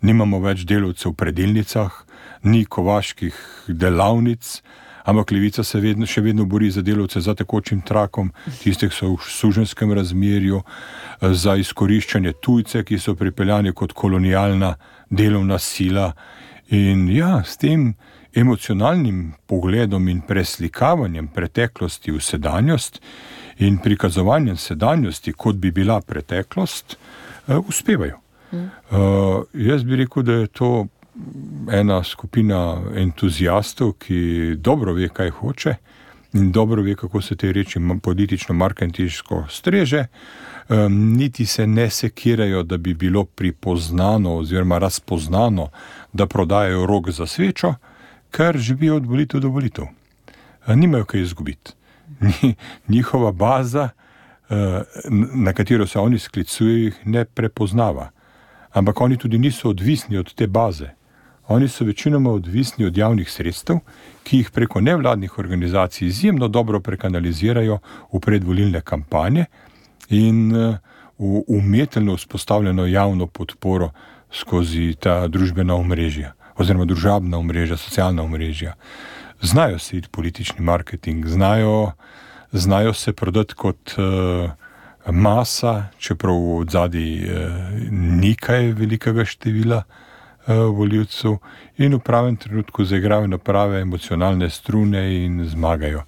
nimamo več delavcev v predilnicah, ni kovaških delavnic, ampak Levica se vedno, še vedno bori za delavce za tekočim trakom, tistih so v suženskem razmerju, za izkoriščanje tujce, ki so pripeljani kot kolonialna delovna sila. In ja, s tem emocionalnim pogledom in preslikavanjem preteklosti v sedanjost in prikazovanjem sedanjosti, kot bi bila preteklost, uh, uspevajo. Mm. Uh, jaz bi rekel, da je to ena skupina entuzijastov, ki dobro ve, kaj hoče in dobro ve, kako se te reči politično-marketinško streže, um, niti se ne sekirajo, da bi bilo pripoznano oziroma razpoznano, da prodajajo rog za svečo, ker živijo od volitev do volitev. Nimajo kaj izgubiti. Njihova baza, na katero se oni sklicujejo, jih ne prepoznava. Ampak oni tudi niso odvisni od te baze. Oni so večinoma odvisni od javnih sredstev, ki jih preko nevladnih organizacij izjemno dobro prekanalizirajo v predvolilne kampanje in v umetelno vzpostavljeno javno podporo skozi ta družbena omrežja oziroma družabna omrežja, socialna omrežja. Znajo se iti politični marketing, znajo, znajo se prodati kot uh, masa, čeprav od zadaj uh, nekaj velikega števila volivcev in v pravem trenutku zaigrajo na prave emocionalne strune in zmagajo.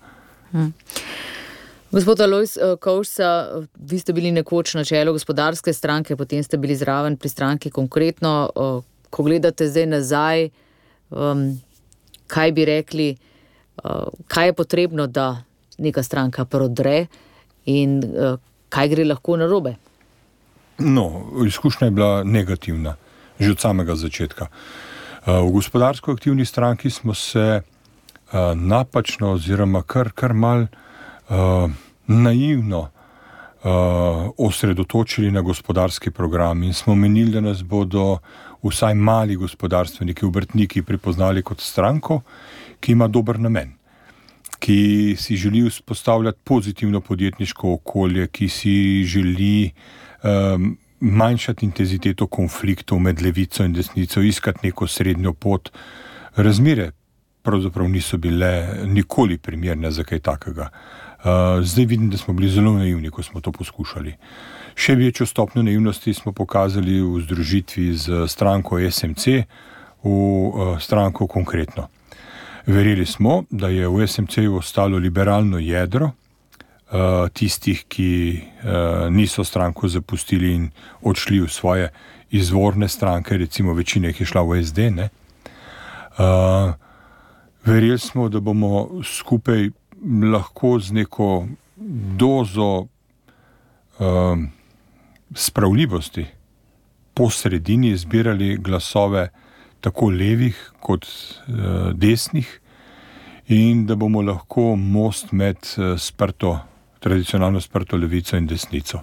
Hmm. Gospod Alojz Kovšca, vi ste bili nekoč na čelu gospodarske stranke, potem ste bili zraven pri stranki Konkretno. Ko gledate zdaj nazaj, kaj bi rekli, kaj je potrebno, da neka stranka prodre in kaj gre lahko narobe? No, izkušnja je bila negativna. Že od samega začetka. V gospodarsko aktivni stranki smo se uh, napačno oziroma kar, kar mal uh, naivno uh, osredotočili na gospodarski program in smo menili, da nas bodo vsaj mali gospodarstveniki, obrtniki prepoznali kot stranko, ki ima dober namen, ki si želi vzpostavljati pozitivno podjetniško okolje, ki si želi um, manjšati intenziteto konfliktov med levico in desnico, iskati neko srednjo pot. Razmere pravzaprav niso bile nikoli primerne za kaj takega. Uh, zdaj vidim, da smo bili zelo naivni, ko smo to poskušali. Še večjo stopnjo naivnosti smo pokazali v združitvi z stranko S M C v uh, stranko Konkretno. Verjeli smo, da je v S M C-ju ostalo liberalno jedro, Uh, tistih, ki uh, niso stranko zapustili in odšli v svoje izvorne stranke, recimo večina jih je šla v S D, ne. Uh, verjeli smo, da bomo skupaj lahko z neko dozo uh, spravljivosti po sredini zbirali glasove tako levih kot uh, desnih in da bomo lahko most med uh, sprto tradicionalno sprto levico in desnico.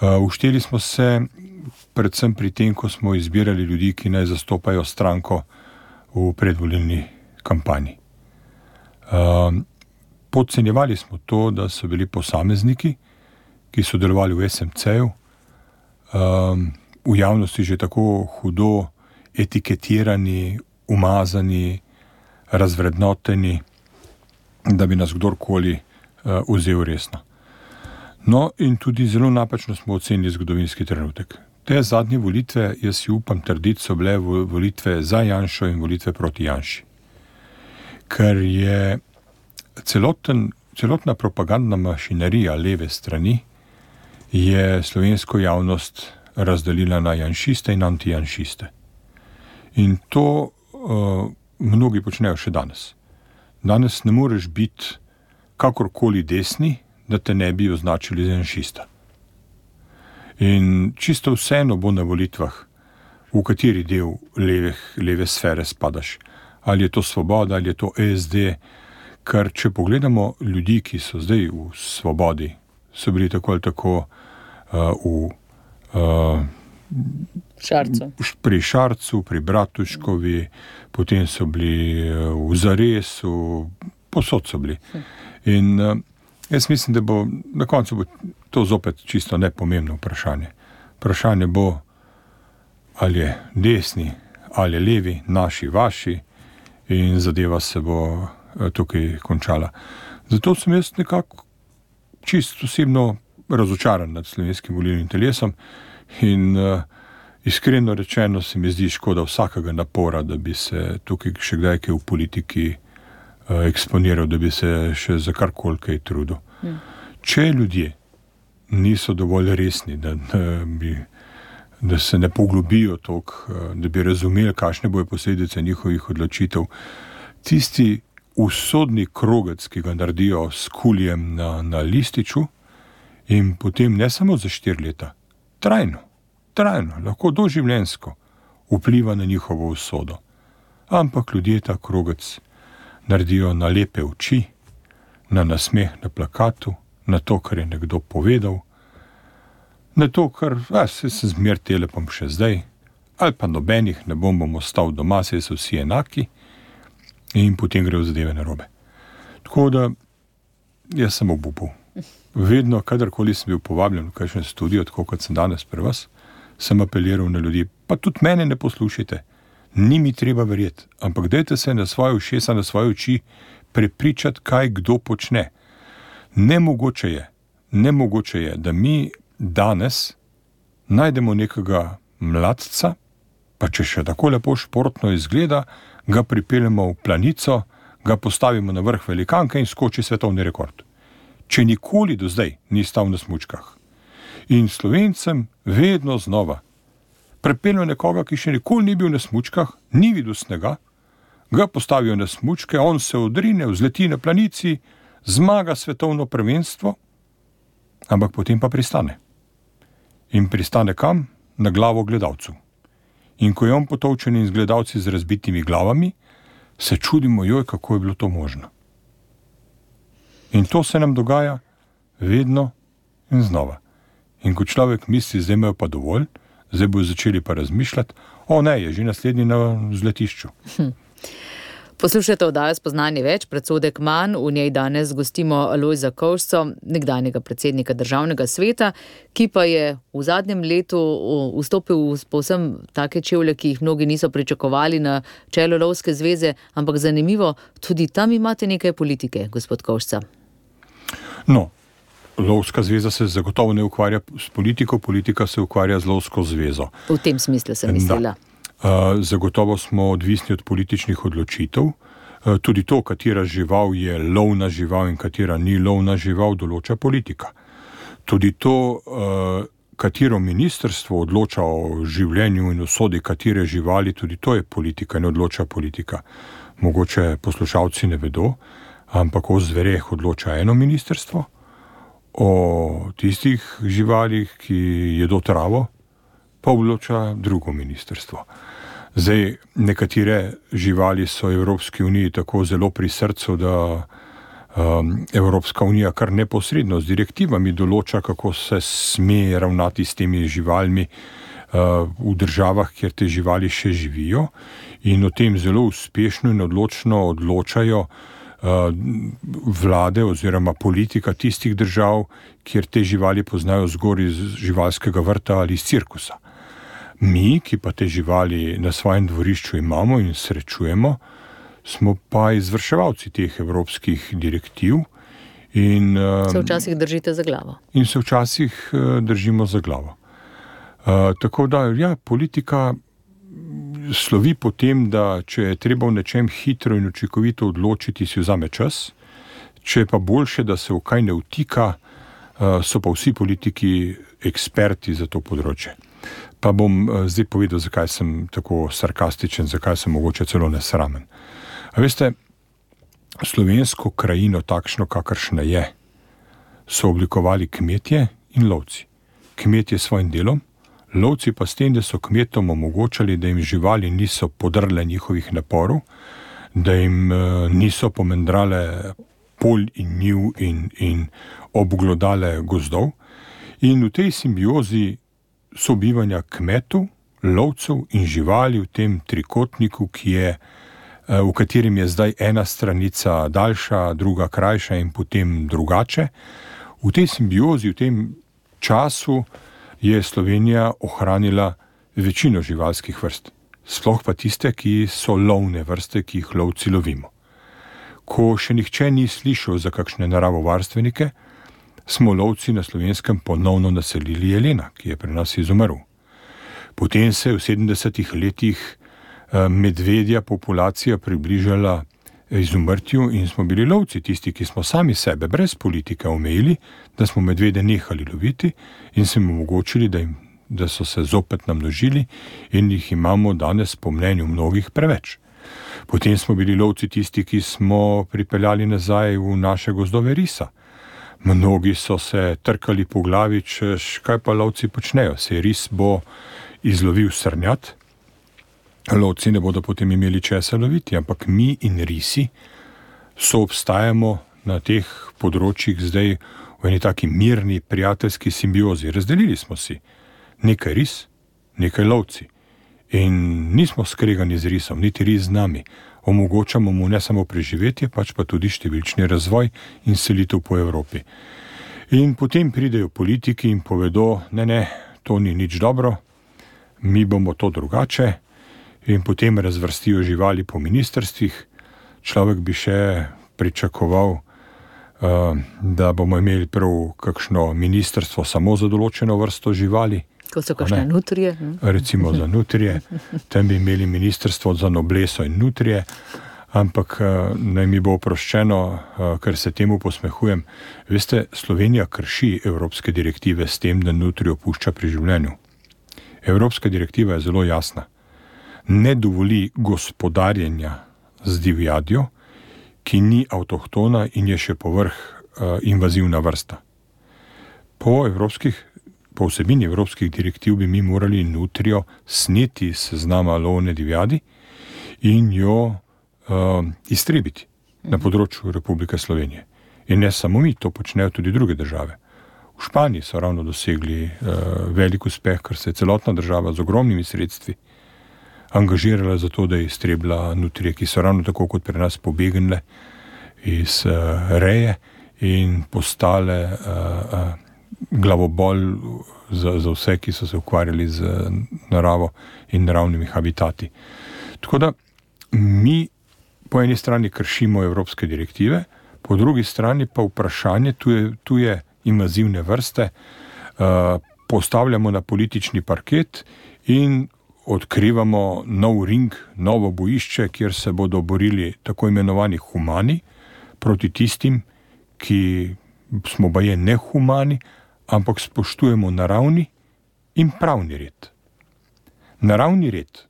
Uh, ušteli smo se predvsem pri tem, ko smo izbirali ljudi, ki naj zastopajo stranko v predvolilni kampanji. Uh, podcenjevali smo to, da so bili posamezniki, ki so delovali v S M C-ju, uh, v javnosti že tako hudo etiketirani, umazani, razvrednoteni, da bi nas kdorkoli uh, vzel resno. No, in tudi zelo napačno smo ocenili zgodovinski trenutek. Te zadnje volitve, jaz si upam trditi, so bile volitve za Janšo in volitve proti Janši. Ker je celoten, celotna propagandna mašinerija leve strani je slovensko javnost razdelila na janšiste in antijanšiste. In to uh, mnogi počnejo še danes. Danes ne moreš biti kakorkoli desni, da te ne bi označili za janšista. In čisto vseeno bo na volitvah, v kateri del leve, leve sfere spadaš. Ali je to Svoboda, ali je to S D, ker če pogledamo ljudi, ki so zdaj v Svobodi, so bili tako ali tako uh, v uh, Šarcu. pri Šarcu, pri Bratuškovi, potem so bili uh, v Zaresu, posod so bili. In uh, jaz mislim, da bo na koncu bo to zopet čisto nepomembno vprašanje. Vprašanje bo, ali je desni, ali je levi, naši, vaši, in zadeva se bo tukaj končala. Zato sem jaz nekako čisto osebno razočaran nad slovenskim volilnim telesom in uh, iskreno rečeno se mi zdi škoda vsakega napora, da bi se tukaj še kdaj kaj v politiki uh, eksponiral, da bi se še za karkoli kaj trudil. Hmm. Če ljudje niso dovolj resni, da, da, bi, da se ne poglobijo toliko, da bi razumeli, kakšne bojo posledice njihovih odločitev, tisti usodni krogec, ki ga naredijo s kulijem na, na lističu in potem ne samo za štiri leta, trajno, trajno, lahko doživljenjsko vpliva na njihovo usodo. Ampak ljudje ta krogec naredijo na lepe oči, na nasmeh na plakatu, na to, kar je nekdo povedal, na to, kar a, se se zmer telepom še zdaj, ali pa nobenih, ne bom bomo ostal doma, se so vsi enaki in potem grejo zadeve narobe. Tako da, jaz sem obupal. Vedno, kadarkoli sem bil povabljen v kakšen studio, tako kot sem danes pri vas, sem apeliral na ljudi, pa tudi mene ne poslušajte, ni mi treba verjeti, ampak dajte se na svoje ušesa, na svoje oči prepričati, kaj kdo počne. Nemogoče je, nemogoče je, da mi danes najdemo nekega mladca, pa če še tako lepo športno izgleda, ga pripeljemo v planico, ga postavimo na vrh velikanke in skoči svetovni rekord. Če nikoli do zdaj ni stal na smučkah. In Slovencem vedno znova pripeljejo nekoga, ki še nikoli ni bil na smučkah, ni videl snega, ga postavijo na smučke, on se odrine, vzleti na planici, zmaga svetovno prvenstvo, ampak potem pa pristane. In pristane kam? Na glavo gledalcu. In ko je on potolčen in z gledalci z razbitimi glavami, se čudimo, joj, kako je bilo to možno. In to se nam dogaja vedno in znova. In ko človek misli, zdaj imajo pa dovolj, zdaj bojo začeli pa razmišljati, o ne, je že naslednji na vzletišču. Hm. Poslušajte oddajo Spoznanje več, predsodek manj, v njej danes gostimo Lojza Kovšco, nekdanjega predsednika Državnega sveta, ki pa je v zadnjem letu vstopil v povsem take čevlje, ki jih mnogi niso pričakovali na čelo Lovske zveze, ampak zanimivo, tudi tam imate nekaj politike, gospod Kovšca. No, Lovska zveza se zagotovo ne ukvarja s politiko, politika se ukvarja z Lovsko zvezo. V tem smislu sem mislila. Da. Uh, zagotovo smo odvisni od političnih odločitev. Uh, tudi to, katera žival je lovna žival in katera ni lovna žival, določa politika. Tudi to, uh, katero ministrstvo odloča o življenju in usodi katere živali, tudi to je politika in odloča politika. Mogoče poslušalci ne vedo, ampak o zvereh odloča eno ministrstvo, o tistih živalih, ki jedo travo, pa odloča drugo ministrstvo. Zdaj, nekatere živali so Evropski uniji tako zelo pri srcu, da um, Evropska unija kar neposredno z direktivami določa, kako se sme ravnati s temi živalmi uh, v državah, kjer te živali še živijo, in o tem zelo uspešno in odločno odločajo uh, vlade oziroma politika tistih držav, kjer te živali poznajo zgor iz živalskega vrta ali iz cirkusa. Mi, ki pa te živali na svojem dvorišču imamo in srečujemo, smo pa izvrševalci teh evropskih direktiv In, se včasih držite za glavo. In se včasih držimo za glavo. Uh, tako da, ja, politika slovi po tem, da če je treba v nečem hitro in učinkovito odločiti, si vzame čas, če je pa boljše, da se v kaj ne vtika, uh, so pa vsi politiki eksperti za to področje. Pa bom uh, zdaj povedal, zakaj sem tako sarkastičen, zakaj sem mogoče celo nesramen. A veste, slovensko krajino, takšno kakršna je, so oblikovali kmetje in lovci. Kmetje s svojim delom, lovci pa s tem, da so kmetom omogočali, da jim živali niso podrle njihovih naporov, da jim uh, niso pomendrale polj in njiv in, in obglodale gozdov. In v tej simbiozi sobivanja kmetov, lovcev in živali v tem trikotniku, ki je, uh, v katerem je zdaj ena stranica daljša, druga krajša in potem drugače, v tej simbiozi, v tem času je Slovenija ohranila večino živalskih vrst, sploh pa tiste, ki so lovne vrste, ki jih lovci lovimo. Ko še nihče ni slišal za kakšne naravovarstvenike, smo lovci na Slovenskem ponovno naselili jelena, ki je pri nas izumrl. Potem se je v sedemdesetih letih medvedja populacija približala izumrtju in smo bili lovci tisti, ki smo sami sebe brez politike omejili, da smo medvede nehali loviti in smo omogočili, da, jim, da so se zopet namnožili in jih imamo danes po mnenju mnogih preveč. Potem smo bili lovci tisti, ki smo pripeljali nazaj v naše gozdove risa. Mnogi so se trkali po glavi, češ, kaj pa lovci počnejo, se ris bo izlovil srnjat, lovci ne bodo potem imeli česa loviti, ampak mi in risi so obstajamo na teh področjih zdaj v eni taki mirni, prijateljski simbiozi. Razdelili smo si nekaj ris, nekaj lovci in nismo skregani z risom, niti ris z nami. Omogočamo mu ne samo preživetje, pač pa tudi številčni razvoj in selitev po Evropi. In potem pridejo politiki in povedo, ne, ne, to ni nič dobro, mi bomo to drugače, in potem razvrstijo živali po ministrstvih. Človek bi še pričakoval, da bomo imeli prav kakšno ministrstvo samo za določeno vrsto živali. Ko so kakšne nutrije. Recimo za nutrije. Tam bi imeli ministrstvo za nobleso in nutrije, ampak naj mi bo oproščeno, ker se temu posmehujem. Veste, Slovenija krši evropske direktive s tem, da nutrijo pušča pri življenju. Evropska direktiva je zelo jasna. Ne dovoli gospodarjenja z divjadjo, ki ni avtohtona in je še povrh uh, invazivna vrsta. Po, evropskih, po vsebini evropskih direktiv bi mi morali nutrijo sneti seznama lovne divjadi in jo uh, iztrebiti na področju Republike Slovenije. In ne samo mi, to počnejo tudi druge države. V Španiji so ravno dosegli uh, velik uspeh, ker se je celotna država z ogromnimi sredstvi angažirala za to, da je iztrebila nutrije, ki so ravno tako kot pri nas pobegnile iz uh, reje in postale uh, uh, glavobol za, za vse, ki so se ukvarjali z naravo in naravnimi habitati. Tako da mi po eni strani kršimo evropske direktive, po drugi strani pa vprašanje tuje, tuje invazivne vrste uh, postavljamo na politični parket in odkrivamo nov ring, novo bojišče, kjer se bodo borili tako imenovani humani proti tistim, ki smo baje nehumani, ampak spoštujemo naravni in pravni red. Naravni red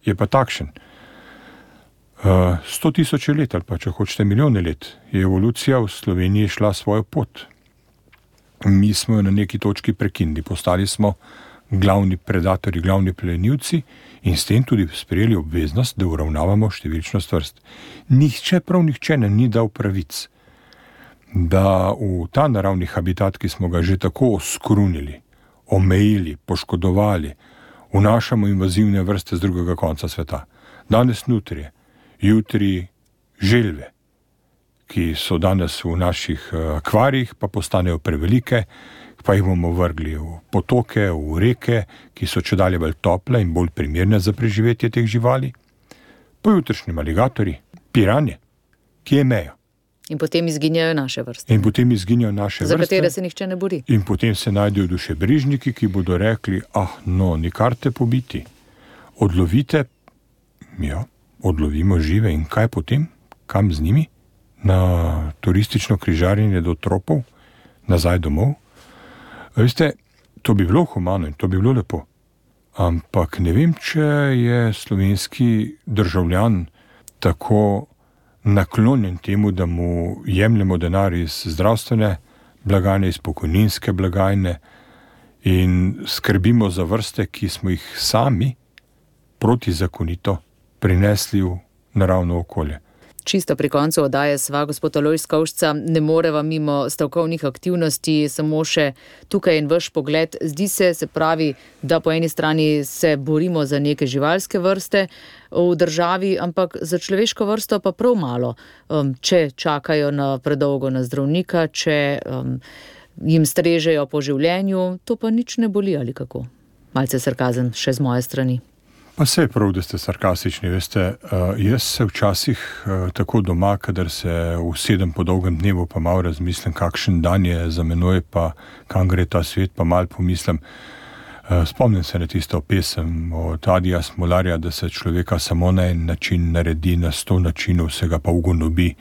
je pa takšen. Uh, sto tisoče let ali pa, če hočete, milijone let je evolucija v Sloveniji šla svojo pot. Mi smo jo na neki točki prekinili, postali smo glavni predatori, glavni plenilci in s tem tudi sprejeli obveznost, da uravnavamo številčnost vrst. Nihče, prav nihče nam ni dal pravic, da v ta naravni habitat, ki smo ga že tako oskrunili, omejili, poškodovali, vnašamo invazivne vrste z drugega konca sveta. Danes nutrije, jutri želve, ki so danes v naših akvarijih, pa postanejo prevelike, pa jih bomo vrgli v potoke, v reke, ki so čedalje bolj tople in bolj primerne za preživetje teh živali. Pojutrišnji aligatorji, piranje, ki je meja. In potem izginjajo naše vrste. In potem izginjajo naše Za vrste. Za katere se nihče ne bori. In potem se najdejo dušebrižniki, ki bodo rekli, ah, no, nikar te pobiti. Odlovite, ja, odlovimo žive in kaj potem? Kam z njimi? Na turistično križarjenje do tropov? Nazaj domov? Veste, to bi bilo humano in to bi bilo lepo. Ampak ne vem, če je slovenski državljan tako naklonjen temu, da mu jemljemo denar iz zdravstvene blagajne, iz pokojninske blagajne in skrbimo za vrste, ki smo jih sami protizakonito prinesli v naravno okolje. Čisto pri koncu oddaje sva, gospod Alojz Kovšca, ne moreva mimo stavkovnih aktivnosti, samo še tukaj in vaš pogled. Zdi se, se pravi, da po eni strani se borimo za neke živalske vrste v državi, ampak za človeško vrsto pa prav malo. Um, če čakajo na predolgo na zdravnika, če um, jim strežejo po življenju, to pa nič ne boli ali kako. Malce sarkazem še z moje strani. Pa se je prav, da ste sarkastični, veste, uh, jaz se včasih uh, tako doma, kadar se usedem po dolgem dnevu, pa malo razmislim, kakšen dan je za menoj, pa kam gre ta svet, pa malo pomislim. Uh, spomnim se na tisto pesem od Adija Smolarja, da se človeka samo na en način naredi, na sto načinov se ga pa ugonobi.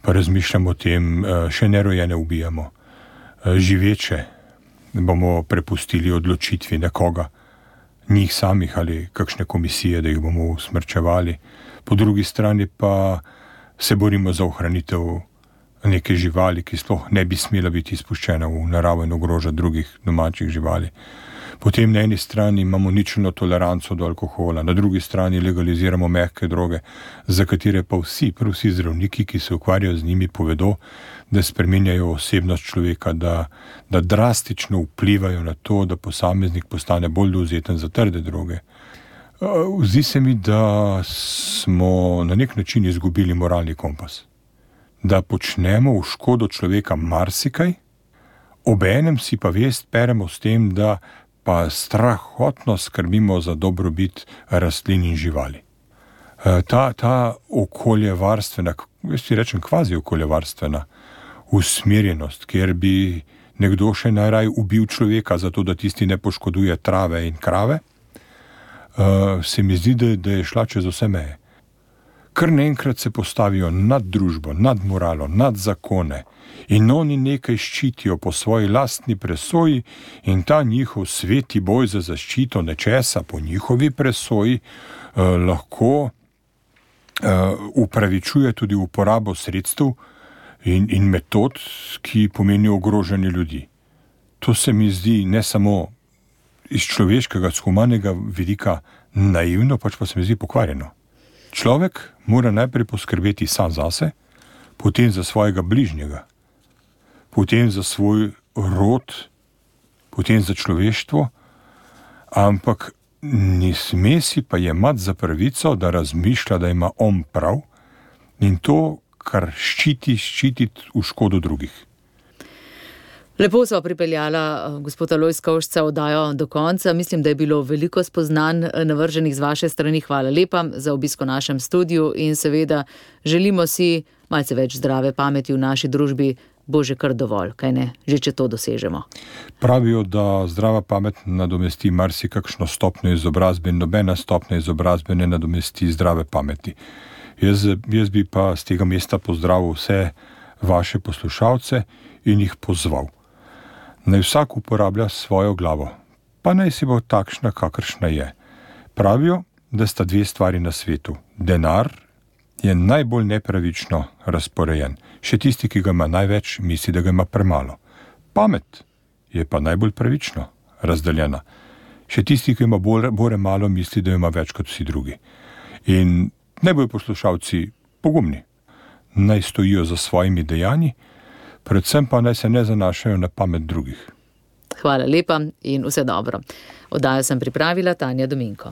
Pa razmišljam o tem, uh, še nerojene ubijamo. Uh, živeče bomo prepustili odločitvi nekoga, njih samih ali kakšne komisije, da jih bomo usmrčevali. Po drugi strani pa se borimo za ohranitev neke živali, ki sploh ne bi smela biti izpuščena v naravo in ogroža drugih domačih živali. Potem na eni strani imamo ničelno toleranco do alkohola, na drugi strani legaliziramo mehke droge, za katere pa vsi, prav vsi zdravniki, ki se ukvarjajo z njimi, povedo, da spreminjajo osebnost človeka, da, da drastično vplivajo na to, da posameznik postane bolj dovzeten za trde droge. Zdi se mi, da smo na nek način izgubili moralni kompas. Da počnemo v škodo človeka marsikaj, obenem si pa vest peremo s tem, da pa strahotno skrbimo za dobrobit rastlin in živali. Ta, ta okoljevarstvena, jaz ti rečem kvazi okoljevarstvena usmerjenost, kjer bi nekdo še najraj ubil človeka, zato da tisti ne poškoduje trave in krave, se mi zdi, da, da je šla čez vse meje. Kar naenkrat se postavijo nad družbo, nad moralo, nad zakone in oni nekaj ščitijo po svoji lastni presoji in ta njihov sveti boj za zaščito nečesa po njihovi presoji eh, lahko eh, upravičuje tudi uporabo sredstev in, in metod, ki pomenijo ogrožanje ljudi. To se mi zdi ne samo iz človeškega, z humanega vidika naivno, pač pa se mi zdi pokvarjeno. Človek mora najprej poskrbeti sam zase, potem za svojega bližnjega, potem za svoj rod, potem za človeštvo, ampak ne sme si pa jemati za pravico, da razmišlja, da ima on prav in to, kar ščiti, ščititi v škodo drugih. Lepo sva pripeljala gospoda Alojz Kovšca oddajo do konca. Mislim, da je bilo veliko spoznanj navrženih z vaše strani. Hvala lepa za obisko v našem studiu in seveda želimo si malce več zdrave pameti v naši družbi. Bo že kar dovolj, kaj ne, že če to dosežemo. Pravijo, da zdrava pamet nadomesti marsikakšno stopnjo izobrazbe in nobena stopnja izobrazbe ne nadomesti zdrave pameti. Jaz, jaz bi pa z tega mesta pozdravil vse vaše poslušalce in jih pozval. Naj vsak uporablja svojo glavo, pa naj si bo takšna, kakršna je. Pravijo, da sta dve stvari na svetu. Denar je najbolj nepravično razporejen. Še tisti, ki ga ima največ, misli, da ga ima premalo. Pamet je pa najbolj pravično razdeljena. Še tisti, ki ima bolj, bolj malo, misli, da ima več kot vsi drugi. In naj bojo poslušalci pogumni. Naj stojijo za svojimi dejanji, predvsem pa naj se ne zanašajo na pamet drugih. Hvala lepa in vse dobro. Oddajo sem pripravila Tanja Dominko.